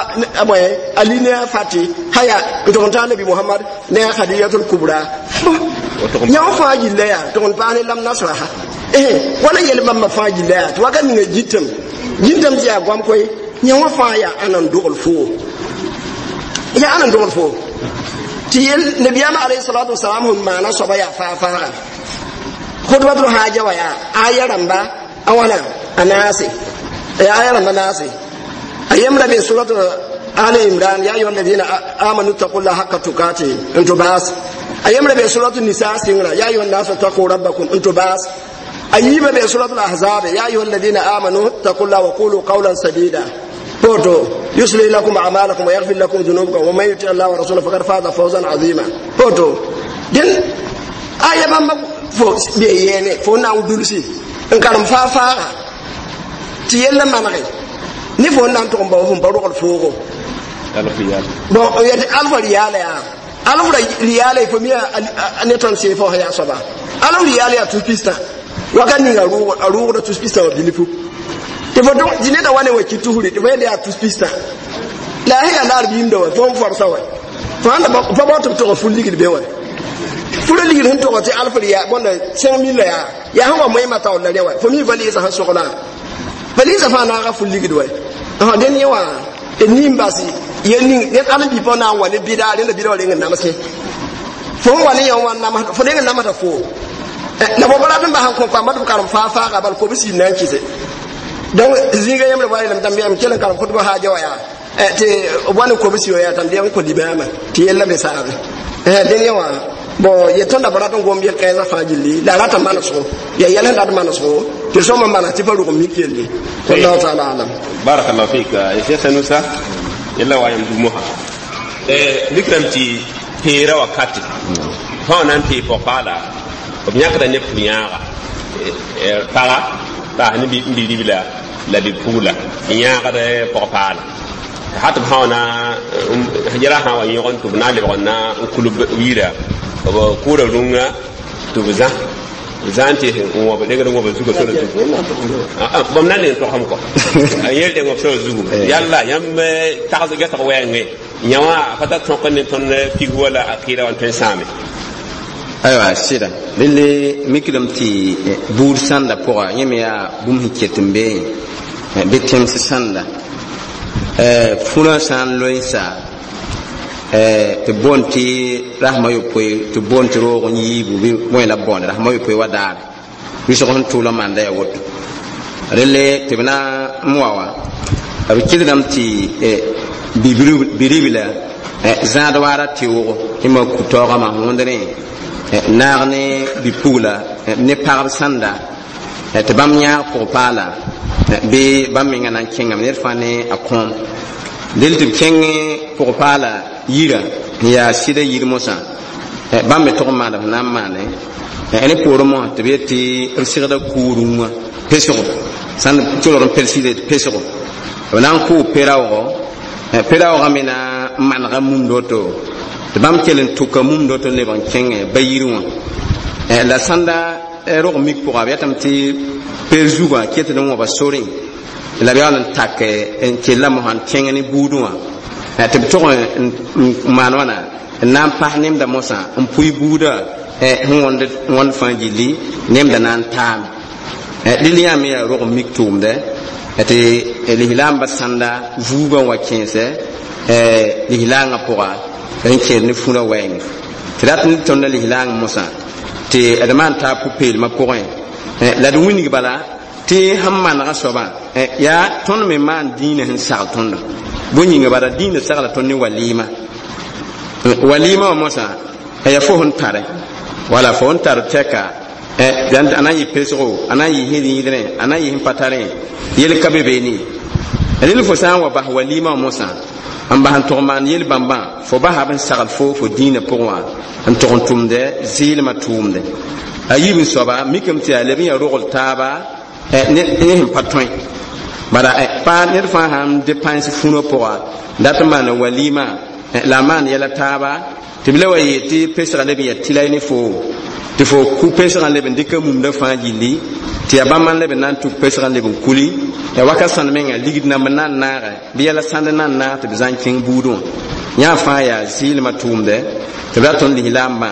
bõe Ali ne a Fati haya n tʋg n ta Nabi Muhammad ne a Khadijatul Kubra yã wã fãa gilla yaa tʋg n paas ne lam nasraha wala yel bãmba fãa gilla yaa tɩ wakat ninga gitame gĩntame tɩ yaa goam koe yã wã fãa yaa ãna n dogl foo yaa ãna n dogl foo tɩ yel nabiyaamã alayhi salatu wasalam sẽn maana soaba yaa faa-faaga khutbatul haja wa yaa aya rãmba a wãna a naase yaa aya rãmba naase a yembra be surat Ali Imran ya ayyuha alladhina amanu taqullaha haqqa tuqatih n tɩ baas a yembra be surat Nisa sɩngra ya ayyuha an-nasu taqu rabbakum n tɩ baas a yiibã be surat al-Ahzab ya ayyuha alladhina amanu taqullaha wa qulu qawlan sadida poto يصلح لكم أعمالكم ويغفر لكم ذنوبكم ومن يطع الله ورسوله فقد فاز فوزا عظيما poto den aya bãmba fo be yɛɛne fo na n dulsi n karem faa-faaga tɩ yella manege ne fo n na n tʋg n bao fo n pa rogl foogo bon yetɩ alfa riyaala yaa alf riyaala fo mi ne tõnd seefã wã yaa soaba alf riyaala yaa tus pistã wakat ninga a rʋʋgda tus pistã wã bilfu tɩ fo tɩ neda wa ne wa ki tusri tɩ fo yel yaa tus pistã la a sẽn yaa laar biimda wa fo n forsa wa fo sãn fa bao tɩ b tʋg ful ligd be wa fura ligd sẽn tʋg tɩ alf riyaa bõnda 5000 la yaa yaa sẽn wa moẽmã taoor la rẽ wa fo mi valɩɩsã sẽn soglã valɩɩsã fãa naaga ful ligd wa dẽn yẽ wã d nin bas yel ning ned alã bi pa na n wa ne bɩda rẽnda bɩda wa reng n namsẽ fo n wa ne yã wã namsd fo reng n namsda foo la fo pa rat n bas n kõ pamba tɩ b karem faa-faaga bal kobsi na n kɩse donc zĩiga yẽmbre wa yeelame tãmb m kell n karem khutba haaja wa yaa tɩ b wa ne kobsi wa yaa tãmb n kõ libaamã tɩ yella me saabe dẽn yẽ wã Bon ye tõnda b rat n gom yel-kãensã fãa gilli la a rata manesgo yaa yɛl sẽn dat manesgo tɩ sõma manes tɩ pa rog n mik yelle. Wallahu taala alam. Barakallahu fik Cheikh Sanusa yella wa yam dumoha mikram tɩ peera wakate fãa na n pee pɔg-paala b yãkda ne pʋ-yãaga paga paas ne bi-ribla la bi-pugla n yãagd pɔg-paala hat b sã na yɛla sã wa yõg tɩ b na n lebg n na n kul yira b kʋʋda rũngã tɩ b zã b zã n tɩ n wõb dengd wõb zuga sora zugu bãmb na n neng togsem kɔ a yel deng b sora zugu yalla yãmb tags gɛsg wɛɛngẽ yã wã pa tar tõk ne tõnd fig wala a kɩɩda wã n tõe n sãame. Aywa, sɩda relle mikdame tɩ buud sãnda pʋga yẽ me yaa bũmb sẽn ket n beẽ bɩ tẽms sãnda fũrã sã n loensa tɩ boond tɩ rasmã yopoe tɩ boond tɩ roog n yiibu bɩ bõe la b boonde rasmã yopoe wa daare wɩsg sẽn tʋʋl n maanda yaa woto relle tɩ b na n wa wã b kɩdgame tɩ bi-ribla zãad waara tɩʋʋgo tɩ ma ku-taoogãmã wõndrẽ naag ne bi-pugla ne pagb sãnda tɩ bãmb yãag pʋg-paala bɩ bãmb menga na n kẽngame ned fãa ne a kõom del tɩ b kẽng pʋg-paala yira n yaa sɩda yir mosã bãmb me tʋg n maanda b na n maane ne poorẽ mosã tɩ b yet tɩ b segda kuu-rũngã pesgo sãn tolg n pelsɩde pesgo b na n kʋʋ pe-raoogo pe-raoogã me na n manega mumd woto tɩ bãmb kell n tʋka mumd woto n lebg n kẽngẽ ba yir wã la sãnda rog mik pʋga b yetame tɩ peer zugã ketd n wãba sorẽ la b yaool n tak n kella mosã n kẽng ne buudẽ wã tɩ b tʋg n maan wãna n na n pas nemda mosã n pʋɩ buudã sẽn wõnd fãa gilli nemda na n taame rɩl yã me yaa rog n mik tʋʋmdɛ tɩ lislaambã sãnda vuugã wa kẽesɛ lislaangã pʋga n kẽed ne fũrã wɛɛngẽ tɩ rat n tõnda lislaang mosã tɩ d maan taa pʋ-peelmã pʋgẽ la d wĩnig bala tɩ sẽn manegã soabã yaa tõnd me maan dĩinã sẽn sagl tõndo bõe yĩnga bala dĩinã sagla tõnd ne walɩɩma walɩɩma wã mosã yaa fo sẽn tare wala fo sẽn tar tɛka a na n yɩ pesgo a na n yɩ sẽn rĩidrẽ a na n yɩ sẽn pa tarẽ yel ka be beene rel fo sã n wa bas walɩɩma wã mosã n bas n tʋg maan yel-bãmbã fo basa b n sagl fo fo dĩinã pʋgẽ wã n tʋg n tʋmdɛ zɩɩlmã tʋʋmdɛ a yiib n soaba mikame tɩ yaa leb n yaa rogl taaba ne sẽn pa tõe bala pa ned fãa sãn de pãens fũrã pʋga dat n maana walɩɩmã la a maan yɛla taaba tɩ b la wa yeel tɩ pesgã leb n yaa tɩlay ne foo tɩ fo ku pesgã leb n dɩka mumdã fãa gilli tɩ yaa bãmb n leb n na n tuk pesgã leb n kuli ya wakat sãnd menga ligd namb n na n naagɛ bɩ yɛla sãnd n na n naag tɩ b zã n kẽng buudẽ wã yã fãa yaa zɩɩlmã tʋʋmdɛ tɩ b ra tõnd lislaambã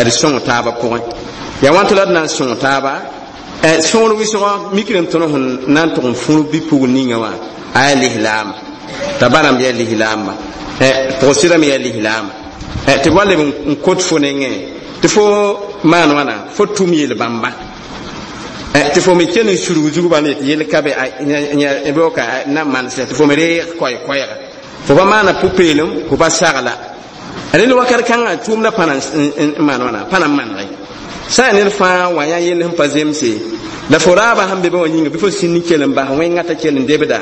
d sõng taabã pʋgẽ yaa wãn tɩ la d na n sõng taaba sõor wɩsgɔ mikdame tõnd sẽn na n tʋg n fũr bi-pugl ninga wã a yaa lislaamba t'a ba rãmb yaa lislaamba pʋg-sɩdame yaa lislaamba tɩ b wa leb n kot fo nengẽ tɩ fo maan wãna fo tʋm yel-bãmba tɩ fo me kell n surg zugba ne tɩ yel ka be ka na manesɛ tɩ fo me reeg koɛɛ-koɛɛga fo pa maana pʋ-peelem fo pa sagla rel wakat kãngã tʋʋmdã pãna n maan wãna pãna n manege sã n ned fãa wa yã yell sẽn pa zemse la fo raabã sẽn be ba wã yĩnga bɩ fo sĩnd n kell n bas wẽngã t'a kell n debda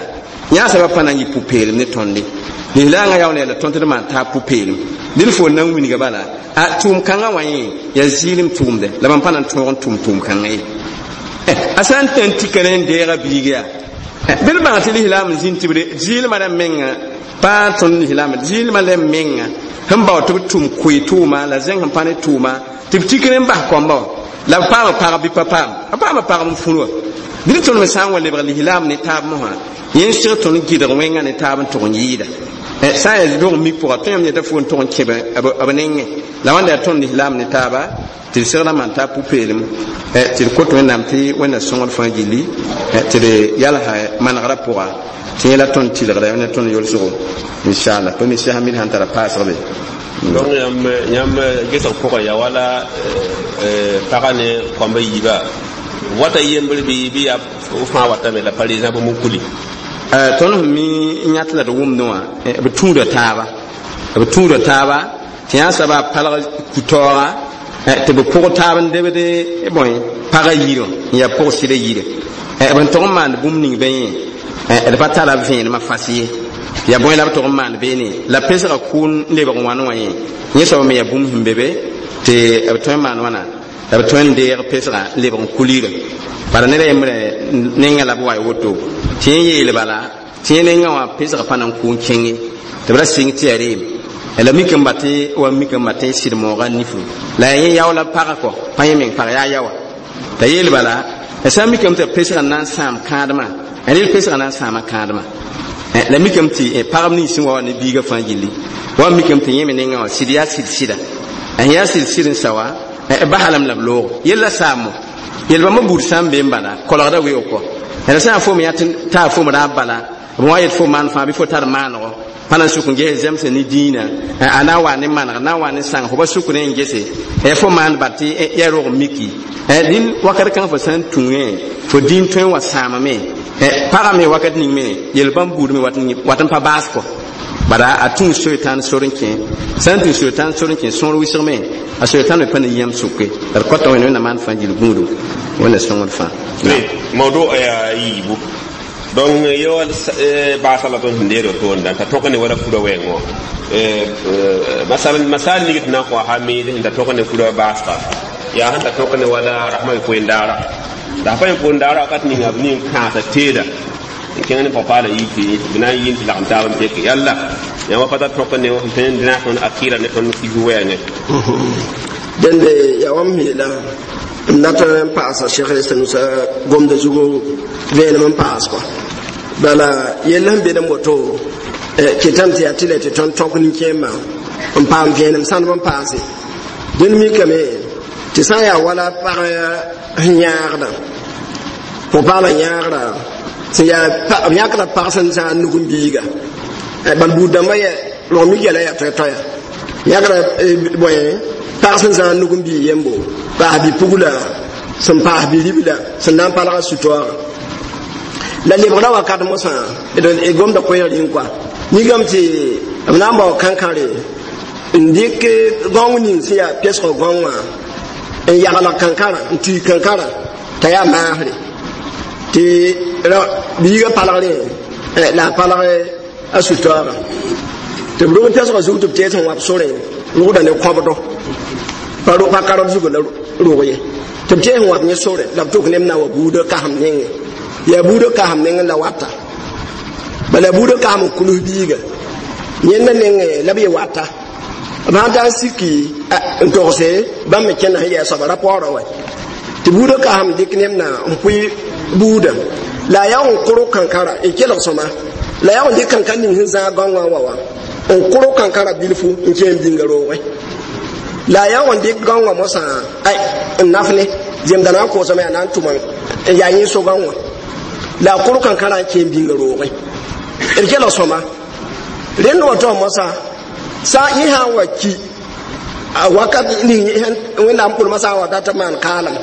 yãasã pa pãna n yɩ pʋ-peelem ne tõnde lislaangã yaool yaa la tõnd tɩ d maan taa pʋ-peelem dẽn fo na n wilga bala a tʋʋm kãngã wã yẽ yaa zɩɩlem tʋʋmdɛ la bãmb pa na n tõog n tʋm tʋʋm kãngã ye a sã n tã n tika ne n deega biig yaa bɩ d bãng tɩ lislaam n zĩnd tɩ b zɩɩlmã rãmb menga pa tõnd lislaam zɩɩlmã rãmb menga sẽn bao tɩ b tʋm koe tʋʋma la zẽng sẽn pa ne tʋʋma tɩ b tik ne n bas kɔmbã wã la b paama pagb bɩ pa paam a paama pagb n fũr wã bɩ d tõnd me sã n wa lebg lislaam ne taab mosã yẽ sɩg tõnd gɩdg wẽngã ne taab n tʋg n yɩɩda sã n yaa rog mik pʋga tõe yãmb yeta fo n tʋg n kẽb b nengẽ la wãnda yaa tõnd lislaam ne taaba tɩ d segrã maan taa pʋ-peelem tɩ d kot Wẽnnaam tɩ Wẽnna sõngd fãa gilli tɩ d yalsa manegrã pʋga tɩ yẽ la tõnd tɩlgda ne tõnd yolsgo inchallah pa mi sɛs mid sãn tara paasg be. Donc yãmb gesg pʋgẽ yaa wala pagã ne kõmba yiiba wata yembr bɩ yaa fãa watame la par exemple mukuli. Tõnd sẽn mi n yãt la d wʋmdẽ wã b tũuda taaba b tũuda taaba tɩ yã soaba palg ku-taooga. Tɩ b pʋg taab n debd bõe pagã yirẽ n yaa pʋg sɩda yire b n tog n maand bũmb ning be yẽ d pa tara vẽenemã fas ye yaa bõe la b tog n maand beene la pesgã kʋʋn n lebg wãn wã yẽ yẽ soab me yaa bũmb sẽn be be tɩ b tõe n maan wãna la b tõe n deeg pesgã n lebg n kulirã bala ned a yembrã nengã la b wa woto tɩ yẽ yeel bala tɩ yẽ nengã wã pesgã pa na n kʋ n kẽnge tɩ b ra sɩng tɩ yaa reem la mik n ba tɩ wa mik n ba tɩ sɩd moogã nifu la yaa yẽ yao la pagã kɔ pa yẽ meng pag yaa yaoa t'a yeel bala la sã n mikame tɩ pesgã na n sãam kãadmã a rel pesgã na n sãama kãadmã la mikame tɩ pagb nins sẽn wa wa ne biigã fãa gilli wa mikame tɩ yẽ me nengã wã sɩd yaa sɩd sɩda a yaa sɩd sɩd n sa wa basa lame la b loog yella saamo yel bãmba buud sã n be n bala kolgda weoog kɔ la sã n fo me yaa t'a fo me raab bala b wã yet fo maan fãa bɩ fo tar maanego pa na n suk n ges zemse ne dĩinã a na n wa ne maneg na n wa ne sãng fo pa suk ne n gese fo maan bat tɩ yaa rog n miki dĩn wakat kãng fo sã n tũngẽ fo dĩin tõe n wa sãamame pagã me wakat ning me yel bãmb buud me wat n pa baas kɔ bara a tũu soetãn sor n kẽ sã n tũ soetãn sor n kẽ sõor wɩsg me a soetãn me pa ne yãmb sʋke la d kõta wẽnd wẽnnaam maan fãa gill gũudu wẽnna sõngd fãa mawdu ya yiibu donc yo baasa la tõnd sẽn deed wotoonda t'a tõk ne wala fura wɛɛngõ masalan masal ning tɩ na n kõ ha miid sẽn ta tõk ne fura baasga yaa sẽn ta tõk ne wala rasmã poendaara la pa poendaara wakat ninga b ning kãasa teeda n kẽng ne papaala yi tɩ b na n yɩɩn tɩ lagem taab n peke yalla yãmb pa ta tõk ne sẽn tõe n dẽna tõnd akɩɩra ne tõnd kis wɛɛngẽ. Dẽnde yaa wãmb yeela n dat n paasa Cheikh Sanusa gomda zugu vẽenem n paas kɔ bala yell sẽn bed n woto kɩtame tɩ yaa tɩ la tɩ tõnd tõk nin-kẽemã n paam vẽenem sãndb n paase dẽnd mikame tɩ sã n yaa wala pag sẽn yãagda pʋg-paalã yãagrã sẽn yaa b yãkda pag sẽn zãag nug n biiga bal buud dãmbã yɛ rog mik yɛla yaa toɛ-toɛya yãkda bõe pag sẽn zãag nug n bii yembo paas bi-pugla sẽn paas bi-ribla sẽn na n palga su-toaagã la lebgra wakat mosã d gomda koɛɛg rĩng kɔa nigame tɩ b na n bao kãnkãre n dɩk gãong ning sẽn yaa pesgã gãong wã n yagl kãnkãrã n tui kãnkãrã t'a yaa maasre tɩ biigã palgrẽ la a palg a su-toaagã tɩ b rog pesgã zug tɩ b tees sẽn wap sorẽ rogda ne kõbdo pa kard zugu la rog ye tɩ b tees sẽn wap yẽ sore la b tʋk neb na wa buudã kasem nengẽ yaa buudã kasem nengẽ la wata bala buudã kasem n kuls biiga yẽnda nengẽ la b ye wata b sãn tar n siki n togse bãmb me kẽnda sẽn yɛɛ soaba ra paoorã wa tɩ buudã kasem dɩk neb na n pʋɩ buudã la a yaa n kʋrg kankãra n kelg sõma la yaa n dɩk kankã ning sẽn zãag gãongã wa wã n kʋrg kankãra bilfu n kẽem bĩnga roogẽ la a yaa n dɩk gãongã mosã ay n naf ne zemda na n koosame yaa na n tʋma n yaa yẽ so gãongã la a kʋrg kankãrã n kẽem bĩnga roogẽ d kelg sõma rẽnd wa tao mosã sã yẽ sã n wa ki a wakat ning wẽnnaam pʋlmã sã n wa dat n maan kaalem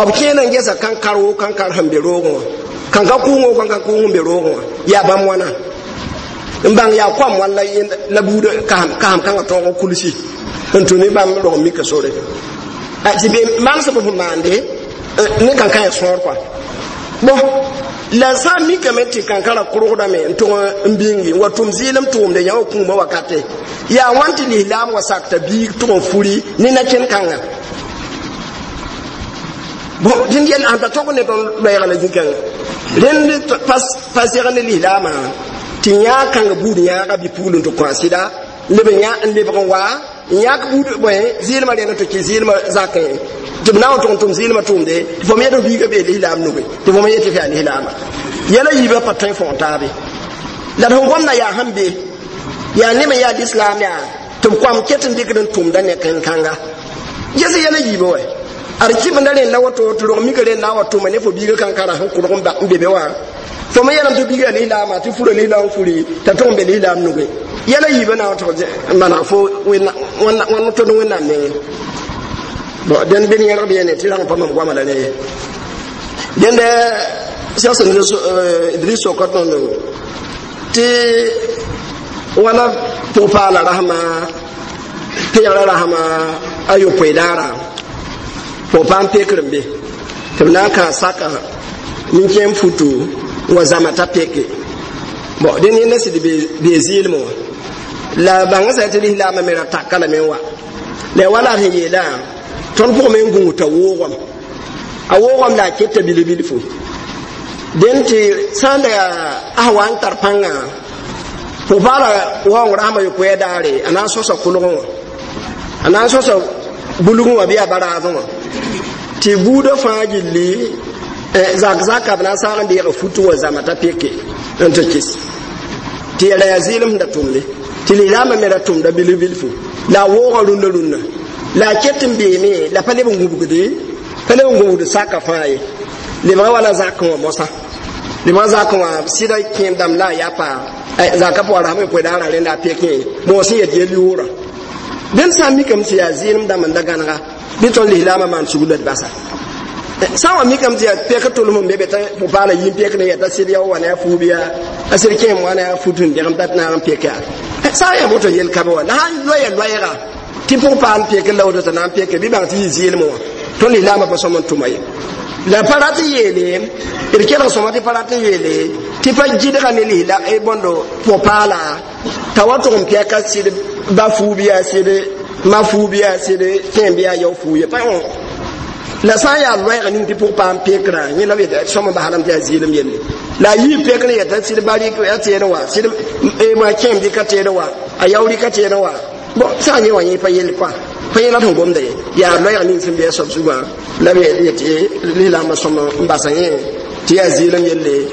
b kẽena n gesa kankar woo kankar sẽn be roogẽ wã kãnkã kʋʋngõ kãnkã kʋʋng sẽn be roogẽ wã yaa bãmb wãna n bãng yaa koam wãn la la buud kasem kãngã tõog n kulsi n tũ ne bãmb rog n mika sore tɩ be manesb sẽn maande ne kankã yaa sõor kɔa bon la sã n mikame tɩ kankãrã kʋrgdame n tʋg n bĩngi n wa tʋm zɩɩlem tʋʋmde yã wa kũumã wakate yaa wãn tɩ lislaam wa sakta biig tʋg n furi ne na-kẽn kãnga bon dẽnd yɛl ãn ta tog ne tõnd loɛɛga la zĩ-kãngã rẽnd pa seg ne lislaamã tɩ yãag kãnga buud yãaga bi-pugl n tɩ kõ a sɩda leb n yã n lebg n wa n yãk buud bõe zɩɩlmã rẽnd tɩ kɩ zɩɩlmã zakẽ tɩ b na n tʋg n tʋm zɩɩlmã tʋʋmde tɩ fo me yet f biigã bee lislaam nuge tɩ fo me yet tɩ f yaa lislaama yɛla yiibã pa tõe fõog taabe la d sẽn gomda yaa sẽn be yaa ne me yaa lislaam yaa tɩ b koam ket n dɩkd n tʋmda ne kẽn-kãnga ges yɛla yiibã wa ad kɩbenda rẽnd la woto tɩ rog mika rẽnd na n wa tʋma ne fo biigã kankãrã sẽn kʋrg n be be wã fo me yɛlem tɩ biigã lislaama tɩ fura lislaam furi t'a tʋg n be lislaam nuge yɛla yiibã na n tʋg n maneg fo wãn tõnd wẽnnaam nengẽ bon dẽnd bɩ yẽlg b yene tɩ rag n pa mam goama la ne ye dẽnde Cheikh Idris soka tõndo tɩ wala pʋg-paala rasma peegrã rasma a yopoe daara pʋg-paam pekr n be tɩ b na n kãa saka nin-kẽem futu n wa zãma t'a peke. Bon, dẽn yẽnda sɩd bee zɩɩlmẽ wã la bãngã sã tɩ lislaambã me ra taka lame n wa la ya wala d sẽn yeelã tõnd pʋgme n gũus t'a woogame, a woogame la a keta bilb-bilfu. Dẽn tɩ sã n da yaa a sẽn wa n tar pãngã pʋg-paala waoong rasem a yopoe daare, a na n sõsa kolgẽ wã, a na n sõsa bulgẽ wã bɩ yaa baraasẽ wã tɩ buudã fãa gilli zak zaka b na n saag n deega futu wã zãma t'a peke n tɩ kɩs tɩ yɛla yaa zɩɩlem sẽn da tʋmde tɩ lislaambã me ra tʋmda bilf-bilfu la a woogã rũndã rũndã la a ket n beeme la pa leb n gũbgde, pa leb n gũbgd saka fãa ye. Lebga wala zakẽ wã mosã, lebga zakẽ wã sɩda kẽem dãmb la a yapa zaka pʋgã rasem yopoe daara rẽnda a pekẽ moos sẽn yet yel yoorã. Dẽnd sã n mikame tɩ yaa zɩɩlem dãmb n da gãnega bɩ tõnd lislaambã maan sugla d basa. Sã n wa mikame tɩ yaa pek tʋlem n be be t'a pʋ-paala yĩn pek ne yɛta sɩd yao wa ne a fuub yaa a sɩd kẽem wa ne a fut n dẽgem t'a naag n pek yaa sã n yaa woto yel ka be wa la sã n loya loɛɛga tɩ pʋg-paal n pek la woto t'a na n peke bɩ bãng tɩ yɩ zɩɩlem wã tõnd lislaambã pa sõm n tʋma ye. La pa rat n yeele d kelg sõma tɩ pa rat n yeele tɩ pa gɩdga ne lisla bõndo pʋg-paala t'a wa tʋg n pɛka sɩd ba fuub yaa sɩd ma fuub yaa sɩd kẽem bɩ yaa yao fuu ye pa. La sã n yaa loɛɛg ning tɩ pʋg paam pekrã yẽ la b yeta sõm n baslame tɩ yaa zɩɩlem yelle la a yii pekr n yeta sɩd ba rɩk a teedẽ wã sɩd kẽem dɩka teedẽ wã a yao rɩka teedẽ wã. Bon, sã n yẽ wã yẽ pa yell kɔa pa yẽla sẽn gomda ye yaa loɛɛg ning sẽn be a soab zugã la b yetɩ lislaambã sõm n basa yẽ tɩ yaa zɩɩlem yelle.